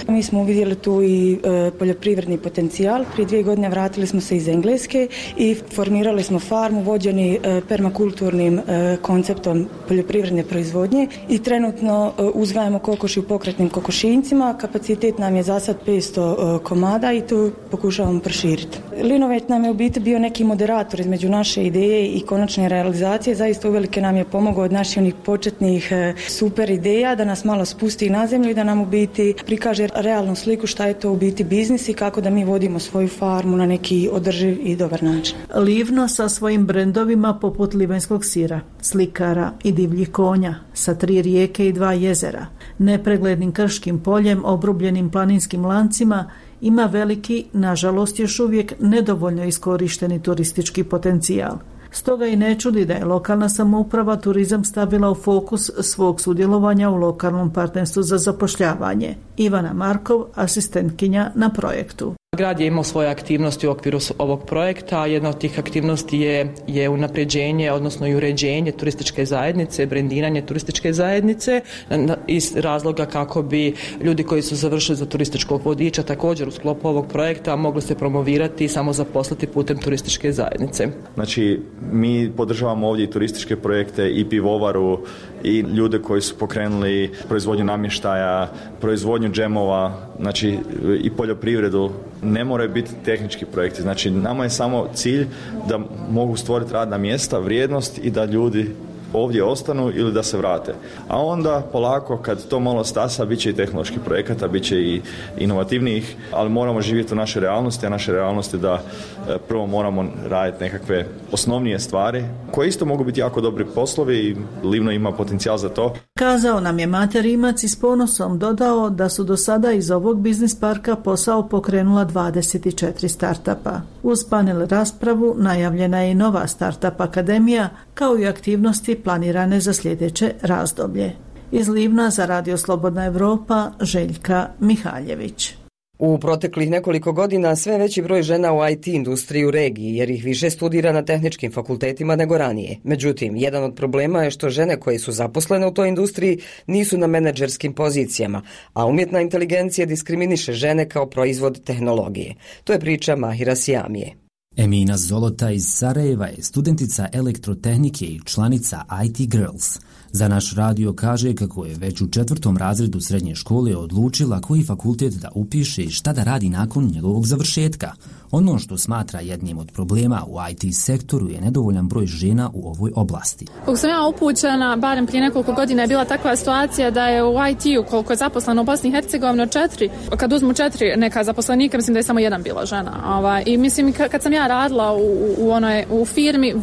Mi smo uvidjeli tu i poljoprivredni potencijal. Prije 2 godine vratili smo se iz Engleske i formirali smo farmu vođeni permakulturnim konceptom poljoprivredne proizvodnje i trenutno uzgajamo kokoši u pokretnim kokošinjcima. Kapacitet nam je za sad 500 komada i to pokušavamo proširiti. Linovate nam je u biti bio neki moderator između naše ideje i konačne realizacije. Zaista uvelike nam je pomogao od naših onih početnih super ideja da nas malo spusti na zemlju i da nam u biti prikaže realnu sliku šta je to u biti biznis i kako da mi vodimo svoju farmu na neki održiv i dobar način. Livno sa svojim brendovima poput livanjskog sira, slikara i divljih konja, sa 3 rijeke i 2 jezera, nepreglednim krškim poljem, obrubljenim planinskim lancima, ima veliki, nažalost još uvijek nedovoljno iskorišteni turistički potencijal. Stoga i ne čudi da je lokalna samouprava turizam stavila u fokus svog sudjelovanja u lokalnom partnerstvu za zapošljavanje. Ivana Markov, asistentkinja na projektu. Grad je imao svoje aktivnosti u okviru ovog projekta. Jedna od tih aktivnosti je unapređenje, odnosno i uređenje turističke zajednice, brendiranje turističke zajednice iz razloga kako bi ljudi koji su završili za turističkog vodiča također u sklopu ovog projekta mogli se promovirati i samo zaposliti putem turističke zajednice. Znači, mi podržavamo ovdje i turističke projekte i pivovaru i ljude koji su pokrenuli proizvodnju namještaja, proizvodnju džemova, znači i poljoprivredu. Ne moraju biti tehnički projekti, znači nama je samo cilj da mogu stvoriti radna mjesta, vrijednost i da ljudi ovdje ostanu ili da se vrate. A onda polako kad to malo stasa bit će i tehnoloških projekata, bit će i inovativnijih, ali moramo živjeti u našoj realnosti, a naša realnost je da prvo moramo raditi nekakve osnovnije stvari koje isto mogu biti jako dobri poslovi i Livno ima potencijal za to. Kazao nam je Mate Rimac i s ponosom dodao da su do sada iz ovog biznis parka posao pokrenula 24 startupa. Uz panel raspravu najavljena je i nova startup akademija kao i aktivnosti planirane za sljedeće razdoblje. Iz Livna za Radio Slobodna Evropa, Željka Mihaljević. U proteklih nekoliko godina sve veći broj žena u IT industriji u regiji, jer ih više studira na tehničkim fakultetima nego ranije. Međutim, jedan od problema je što žene koje su zaposlene u toj industriji nisu na menadžerskim pozicijama, a umjetna inteligencija diskriminiše žene kao proizvod tehnologije. To je priča Mahira Sijamije. Emina Zolota iz Sarajeva je studentica elektrotehnike i članica IT Girls. Za naš radio kaže kako je već u 4. razredu srednje škole odlučila koji fakultet da upiše i šta da radi nakon njegovog završetka. Ono što smatra jednim od problema u IT sektoru je nedovoljan broj žena u ovoj oblasti. Kako sam ja upućena, barem prije nekoliko godina je bila takva situacija da je u IT-u, koliko je zaposleno u Bosni i Hercegovini, kad uzmu 4 neka zaposlenika, mislim da je samo jedan bila žena. I mislim, kad sam ja radila u firmi,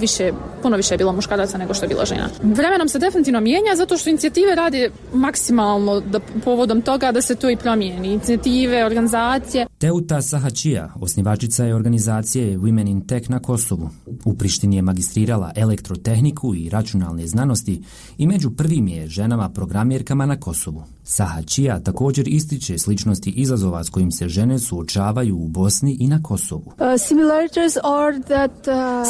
puno više je bilo muškaraca nego što je bila žena. Vremenom se definitivno mijenja zato što inicijative radi maksimalno povodom toga da se to i promijeni. Inicijative, organizacije. Teuta Sahačija, osnivačica je organizacije Women in Tech na Kosovu. U Prištini je magistrirala elektrotehniku i računalne znanosti i među prvim je ženama programerkama na Kosovu. Sahačija također ističe sličnosti izazova s kojim se žene suočavaju u Bosni i na Kosovu.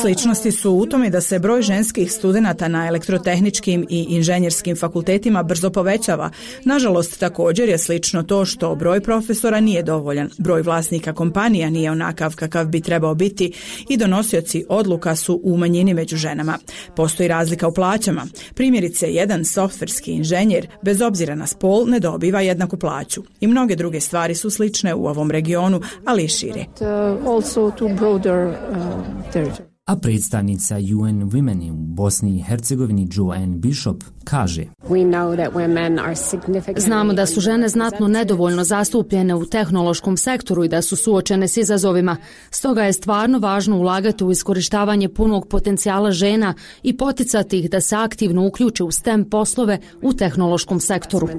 Sličnosti su u tome da se broj ženskih studenata na elektrotehničkim i inženjerskim fakultetima brzo povećava. Nažalost, također je slično to što broj profesora nije dovoljan, broj vlasnika kompanija nije onakav kakav bi trebao biti i donosioci odluka su u manjini među ženama. Postoji razlika u plaćama. Primjerice, jedan softverski inženjer, bez obzira na spol, ne dobiva jednaku plaću. I mnoge druge stvari su slične u ovom regionu, ali i šire. A predstavnica UN Women u Bosni i Hercegovini Joanne Bishop kaže: Znamo da su žene znatno nedovoljno zastupljene u tehnološkom sektoru i da su suočene s izazovima. Stoga je stvarno važno ulagati u iskorištavanje punog potencijala žena i poticati ih da se aktivno uključe u STEM poslove u tehnološkom sektoru.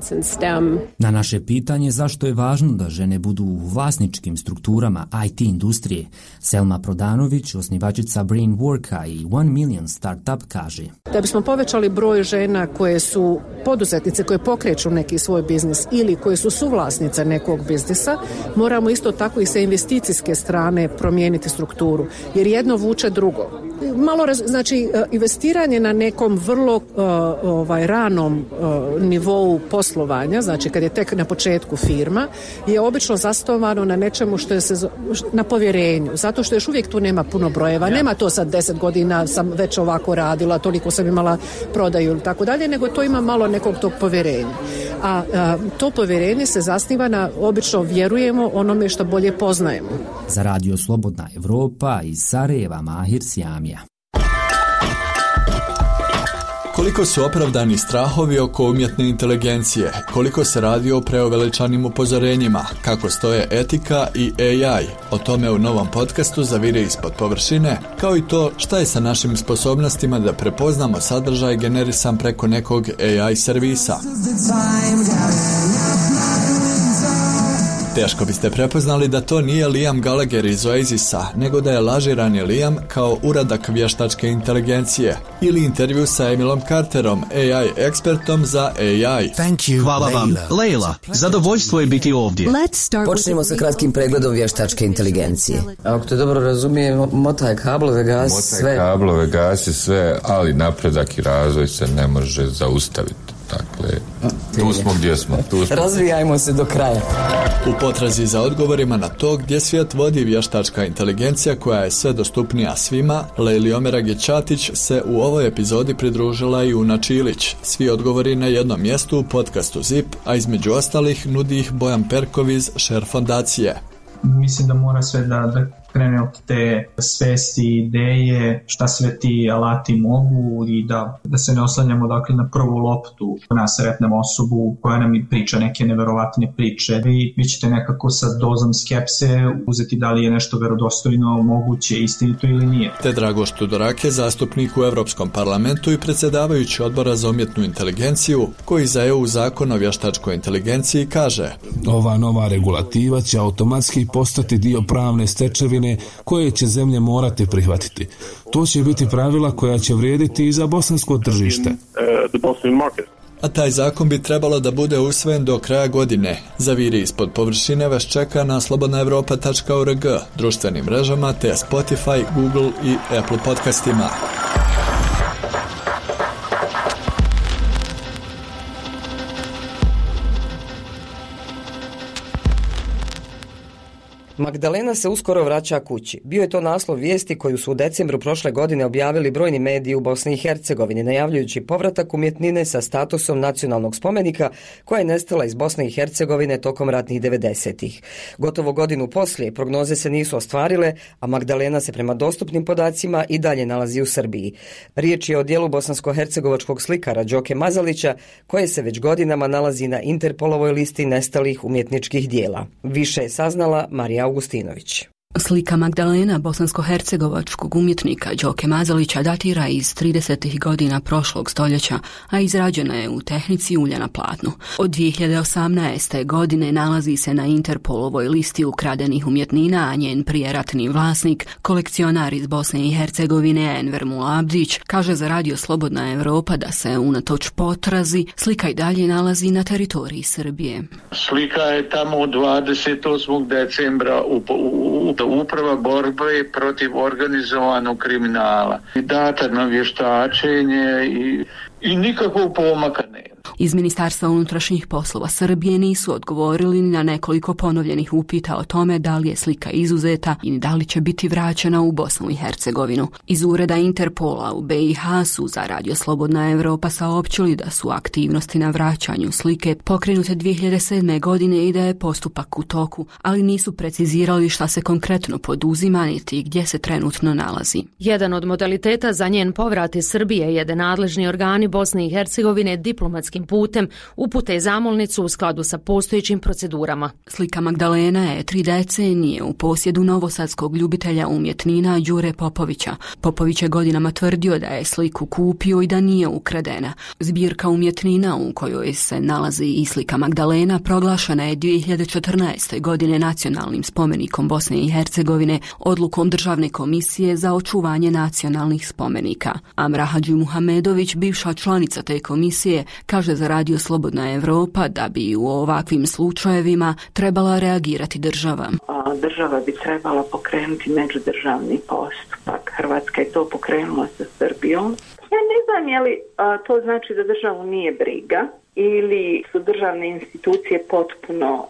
Na naše pitanje zašto je važno da žene budu u vlasničkim strukturama IT industrije, Selma Prodanović, osnivačica Brainworka i 1 Million Startup kaže: Da bismo povećali broj žena koje su poduzetnice, koje pokreću neki svoj biznis ili koje su suvlasnice nekog biznisa, moramo isto tako i sa investicijske strane promijeniti strukturu, jer jedno vuče drugo. Znači, investiranje na nekom vrlo ranom nivou poslovanja, znači kad je tek na početku firma, je obično zasnovano na nečemu što je na povjerenju, zato što još uvijek tu nema puno brojeva, nema to sad 10 godina sam već ovako radila, toliko sam imala prodaju ili tako dalje, nego to ima malo nekog tog povjerenja. A to povjerenje se zasniva na, obično vjerujemo onome što bolje poznajemo. Za Radio Slobodna Evropa iz Sarajeva, Mahir Sjamija. Koliko su opravdani strahovi oko umjetne inteligencije, koliko se radi o preuveličanim upozorenjima, kako stoje etika i AI, o tome u novom podcastu Zavire ispod površine, kao i to šta je sa našim sposobnostima da prepoznamo sadržaj generisan preko nekog AI servisa. Teško biste prepoznali da to nije Liam Gallagher iz Oasisa, nego da je lažirani Liam kao uradak vještačke inteligencije ili intervju sa Emilom Carterom, AI ekspertom za AI. Hvala vam, Leila. Zadovoljstvo je biti ovdje. Počnemo sa kratkim pregledom vještačke inteligencije. Ako te dobro razumijem, motaj kablove, gasi sve. Motaj kablove, gasi sve, ali napredak i razvoj se ne može zaustaviti. Dakle, tu smo gdje smo. Razvijajmo se do kraja. U potrazi za odgovorima na to gdje svijet vodi vještačka inteligencija koja je sve dostupnija svima, Leili Omeragi-Ćatić se u ovoj epizodi pridružila i Una Čilić. Svi odgovori na jednom mjestu u podcastu ZIP, a između ostalih nudi ih Bojan Perkov iz Share fondacije. Mislim da mora sve da krene od te svesti, ideje, šta sve ti alati mogu i da se ne oslanjamo dakle na prvu loptu, na sretnemo osobu koja nam priča neke neverovatne priče. Vi ćete nekako sa dozom skepse uzeti da li je nešto verodostojno, moguće, istinito ili nije. Te Dragoš Tudorake, zastupnik u Europskom parlamentu i predsjedavajući odbora za umjetnu inteligenciju, koji za EU zakon o vještačkoj inteligenciji kaže: Ova nova regulativa će automatski postati dio pravne stečevine koje će zemlje morati prihvatiti. To će biti pravila koja će vrijediti i za bosansko tržište. A taj zakon bi trebalo da bude usvojen do kraja godine. Zaviri ispod površine vas čeka na slobodnaevropa.org, društvenim mrežama te Spotify, Google i Apple podcastima. Magdalena se uskoro vraća kući. Bio je to naslov vijesti koju su u decembru prošle godine objavili brojni mediji u Bosni i Hercegovini, najavljujući povratak umjetnine sa statusom nacionalnog spomenika koja je nestala iz Bosne i Hercegovine tokom ratnih 90-ih. Gotovo godinu poslije prognoze se nisu ostvarile, a Magdalena se prema dostupnim podacima i dalje nalazi u Srbiji. Riječ je o dijelu bosansko-hercegovačkog slikara Đoke Mazalića, koje se već godinama nalazi na Interpolovoj listi nestalih umjetničkih dijela. Više je saznala Marija Augustinović. Slika Magdalena bosansko-hercegovačkog umjetnika Đoke Mazalića datira iz 30. godina prošlog stoljeća, a izrađena je u tehnici ulja na platnu. Od 2018. godine nalazi se na Interpolovoj listi ukradenih umjetnina, a njen prijeratni vlasnik, kolekcionar iz Bosne i Hercegovine Enver Mulabdić, kaže za Radio Slobodna Evropa da se unatoč potrazi slika i dalje nalazi na teritoriji Srbije. Slika je tamo 28. decembra Uprava borbe protiv organizovanog kriminala. Data na vještačenje i nikakvog pomaka nema. Iz Ministarstva unutrašnjih poslova Srbije nisu odgovorili na nekoliko ponovljenih upita o tome da li je slika izuzeta i da li će biti vraćena u Bosnu i Hercegovinu. Iz ureda Interpola u BiH su za Radio Slobodna Evropa saopćili da su aktivnosti na vraćanju slike pokrenute 2007. godine i da je postupak u toku, ali nisu precizirali šta se konkretno poduzima niti gdje se trenutno nalazi. Jedan od modaliteta za njen povrat iz Srbije je da nadležni organi Bosne i Hercegovine diplomatskim putem upute zamolnicu u skladu sa postojećim procedurama. Slika Magdalena je 3 decenije u posjedu novosadskog ljubitelja umjetnina Đure Popovića. Popović je godinama tvrdio da je sliku kupio i da nije ukradena. Zbirka umjetnina u kojoj se nalazi i slika Magdalena proglašena je 2014. godine nacionalnim spomenikom Bosne i Hercegovine odlukom Državne komisije za očuvanje nacionalnih spomenika. Amra Hadžimuhamedović, bivša članica te komisije, kaže za Radio Slobodna Evropa da bi u ovakvim slučajevima trebala reagirati država. Država bi trebala pokrenuti međudržavni postupak. Hrvatska je to pokrenula sa Srbijom. Ja ne znam je li to znači da državu nije briga ili su državne institucije potpuno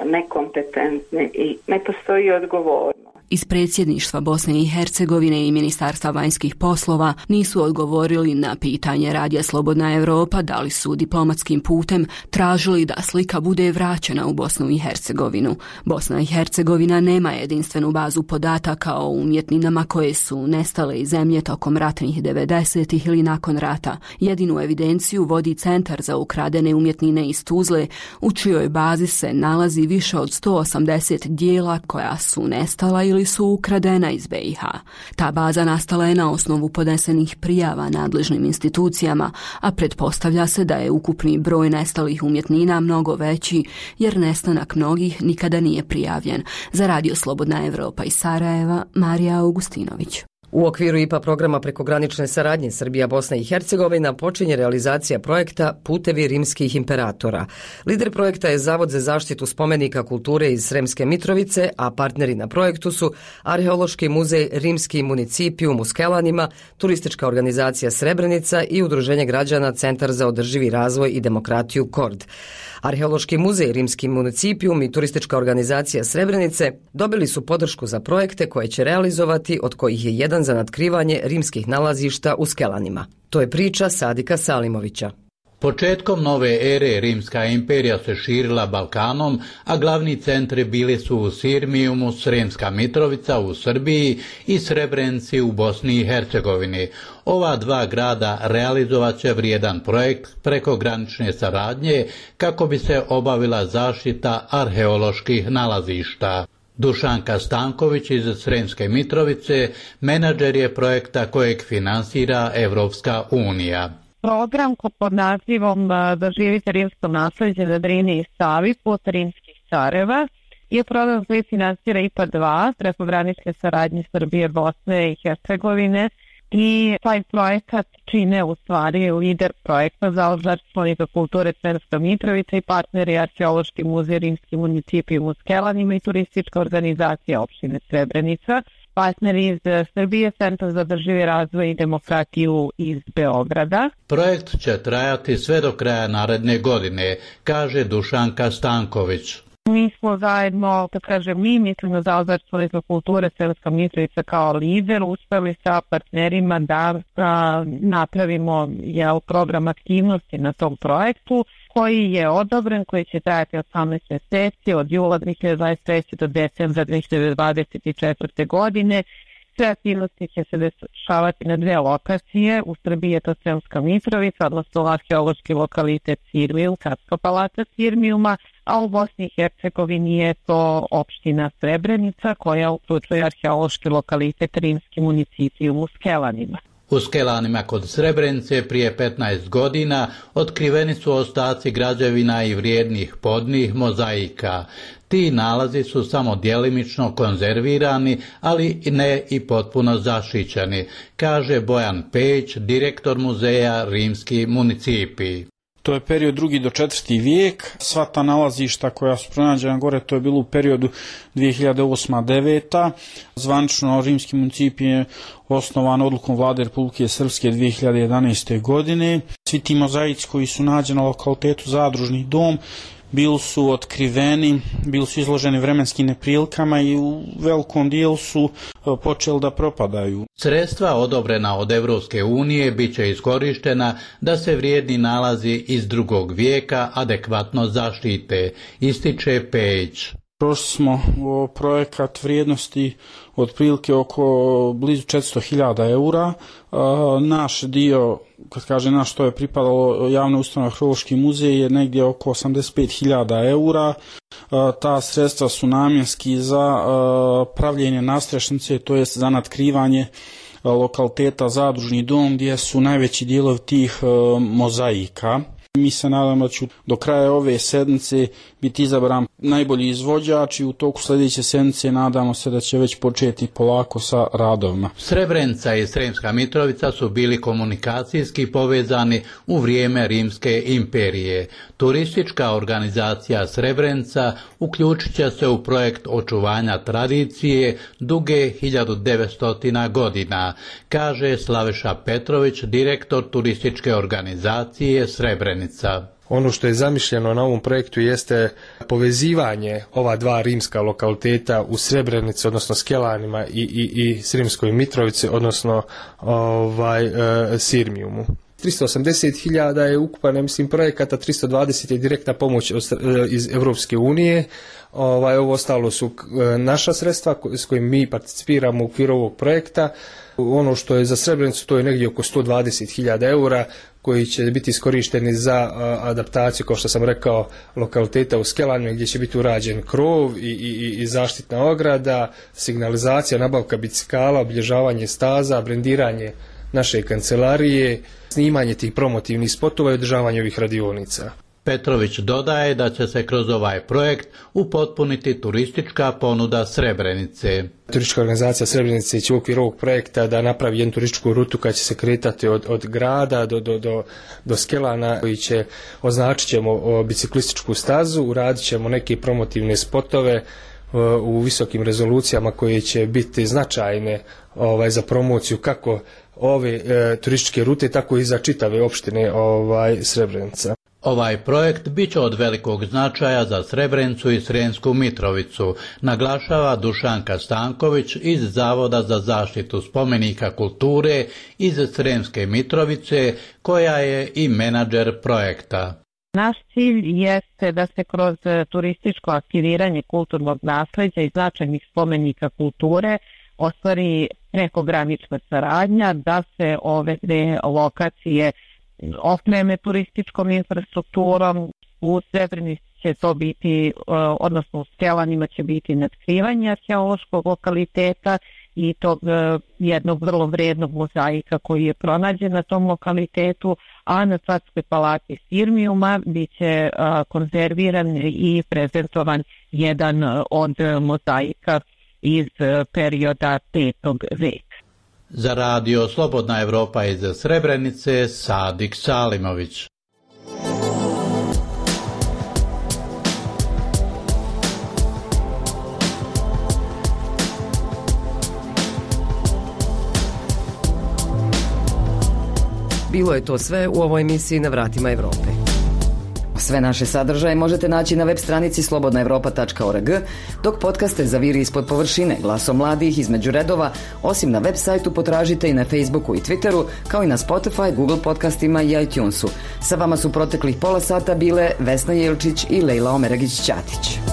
nekompetentne i ne postoji odgovornost. Iz predsjedništva Bosne i Hercegovine i Ministarstva vanjskih poslova nisu odgovorili na pitanje Radija Slobodna Evropa da li su diplomatskim putem tražili da slika bude vraćena u Bosnu i Hercegovinu. Bosna i Hercegovina nema jedinstvenu bazu podataka o umjetninama koje su nestale iz zemlje tokom ratnih 90-ih ili nakon rata. Jedinu evidenciju vodi Centar za ukradene umjetnine iz Tuzle, u čijoj bazi se nalazi više od 180 dijela koja su nestala ili su ukradena iz BiH. Ta baza nastala je na osnovu podnesenih prijava nadležnim institucijama, a pretpostavlja se da je ukupni broj nestalih umjetnina mnogo veći, jer nestanak mnogih nikada nije prijavljen. Za Radio Slobodna Evropa iz Sarajeva, Marija Augustinović. U okviru IPA programa prekogranične saradnje Srbija, Bosna i Hercegovina počinje realizacija projekta Putevi rimskih imperatora. Lider projekta je Zavod za zaštitu spomenika kulture iz Sremske Mitrovice, a partneri na projektu su Arheološki muzej Rimski municipijum u Skelanima, Turistička organizacija Srebrenica i Udruženje građana Centar za održivi razvoj i demokratiju KORD. Arheološki muzej Rimski municipijum i Turistička organizacija Srebrenice dobili su podršku za projekte koje će realizovati, od kojih je jedan za natkrivanje rimskih nalazišta u Skelanima. To je priča Sadika Salimovića. Početkom nove ere Rimska imperija se širila Balkanom, a glavni centri bili su u Sirmijumu, Sremska Mitrovica u Srbiji i Srebrenci u Bosni i Hercegovini. Ova dva grada realizovat će vrijedan projekt prekogranične saradnje kako bi se obavila zaštita arheoloških nalazišta. Dušanka Stanković iz Sremske Mitrovice menadžer je projekta kojeg finansira Evropska unija. Program pod nazivom Doživite rimsko naslijeđe na Drini i Savi put rimskih careva je program koji finansira IPA 2 prekogranične saradnje Srbije, Bosne i Hercegovine i taj projekat čine u stvari lider projekta za zaštitu spomenika kulture Sremska Mitrovica i partneri Arheološki muzej Rimski municipijum u Skelanima i Turistička organizacija opštine Srebrenica. Partneri iz Srbije, Centar za održivi razvoj i demokratiju iz Beograda. Projekt će trajati sve do kraja naredne godine, kaže Dušanka Stanković. Mi smo zajedno, kad kažem mi, mislimo za zaštitu kulture Sremska Mitrovica kao lider, uspeli sa partnerima da napravimo program aktivnosti na tom projektu koji je odobren, koji će trajati 18 mjeseci od jula 2023. do decembra 2024. godine. Sve aktivnosti će se dešavati na 2 lokacije. U Srbiji je to Sremska Mitrovica, odnosno arheološki lokalitet Sirmijum, Katska palata Sirmijuma, a u Bosni i Hercegovini je to opština Srebrenica koja uključuje arheološki lokalitet Rimski municipijum u Skelanima. U Skelanima kod Srebrenice prije 15 godina otkriveni su ostaci građevina i vrijednih podnih mozaika. Ti nalazi su samo djelimično konzervirani, ali ne i potpuno zaštićeni, kaže Bojan Peć, direktor muzeja Rimski municipij. To je period 2. do 4. vijek. Sva ta nalazišta koja su pronađena gore, to je bilo u periodu 2008-2009. Zvanično Rimski municipij je osnovan odlukom vlade Republike Srpske 2011. godine. Svi ti mozaici koji su nađeni na lokalitetu Zadružni dom bili su otkriveni, bili su izloženi vremenskim neprilikama i u velikom dijelu su počeli da propadaju. Sredstva odobrena od Evropske unije bit će iskorištena da se vrijedni nalazi iz 2. vijeka adekvatno zaštite, ističe Peć. Prošli smo projekat vrijednosti otprilike oko blizu 400.000 eura. Naš dio, kad kaže naš, to je pripadalo javnoj ustanovi Arheološki muzej, je negdje oko 85.000 eura. Ta sredstva su namjenski za pravljenje nadstrešnice, to jest za natkrivanje lokaliteta Zadružni dom gdje su najveći dijelovi tih mozaika. Mi se nadamo da će do kraja ove sedmice biti izabran najbolji izvođač i u toku sljedeće sedmice nadamo se da će već početi polako sa radovima. Srebrenica i Sremska Mitrovica su bili komunikacijski povezani u vrijeme Rimske imperije. Turistička organizacija Srebrenica uključit će se u projekt očuvanja tradicije duge 1900 godina, kaže Slaveša Petrović, direktor turističke organizacije Srebrenica. Ono što je zamišljeno na ovom projektu jeste povezivanje ova 2 rimska lokaliteta u Srebrenici, odnosno Skelanima i Sremskoj Mitrovici, odnosno Sirmijumu. 380.000 je ukupan, mislim, projekata, 320 je direktna pomoć iz Evropske unije. Ovo ostalo su naša sredstva s kojim mi participiramo u okviru ovog projekta. Ono što je za Srebrenicu, to je negdje oko 120.000 eura koji će biti iskorišteni za adaptaciju, kao što sam rekao, lokaliteta u Skelanima gdje će biti urađen krov i zaštitna ograda, signalizacija, nabavka bicikala, obilježavanje staza, brendiranje naše kancelarije, snimanje tih promotivnih spotova i održavanje ovih radionica. Petrović dodaje da će se kroz ovaj projekt upotpuniti turistička ponuda Srebrenice. Turistička organizacija Srebrenice će u okviru ovog projekta da napravi jednu turističku rutu koja će se kretati od grada do Skelana, koji će označit ćemo biciklističku stazu, uradit ćemo neke promotivne spotove u visokim rezolucijama koje će biti značajne za promociju kako ove turističke rute, tako i za čitave opštine Srebrenica. Ovaj projekt bit će od velikog značaja za Srebrenicu i Sremsku Mitrovicu, naglašava Dušanka Stanković iz Zavoda za zaštitu spomenika kulture iz Sremske Mitrovice, koja je i menadžer projekta. Naš cilj jeste da se kroz turističko aktiviranje kulturnog nasleđa i značajnih spomenika kulture ostvari prekogranična saradnja, da se ove 2 lokacije opreme turističkom infrastrukturom. U Srebrenici će to biti, odnosno u Skelanima će biti natkrivanje arheološkog lokaliteta i tog jednog vrlo vrijednog mozaika koji je pronađen na tom lokalitetu, a na Katskoj palati Sirmijuma bit će konzerviran i prezentovan jedan od mozaika iz perioda 5. veka. Za radio Slobodna Evropa iz Srebrenice, Sadik Salimović. Bilo je to sve u ovoj emisiji Na vratima Evrope. Sve naše sadržaje možete naći na web stranici slobodnaevropa.org, dok podcaste Zaviri ispod površine, glasom mladih između redova, osim na web sajtu potražite i na Facebooku i Twitteru, kao i na Spotify, Google podcastima i iTunesu. Sa vama su proteklih pola sata bile Vesna Jelčić i Lejla Omeragić-Ćatić.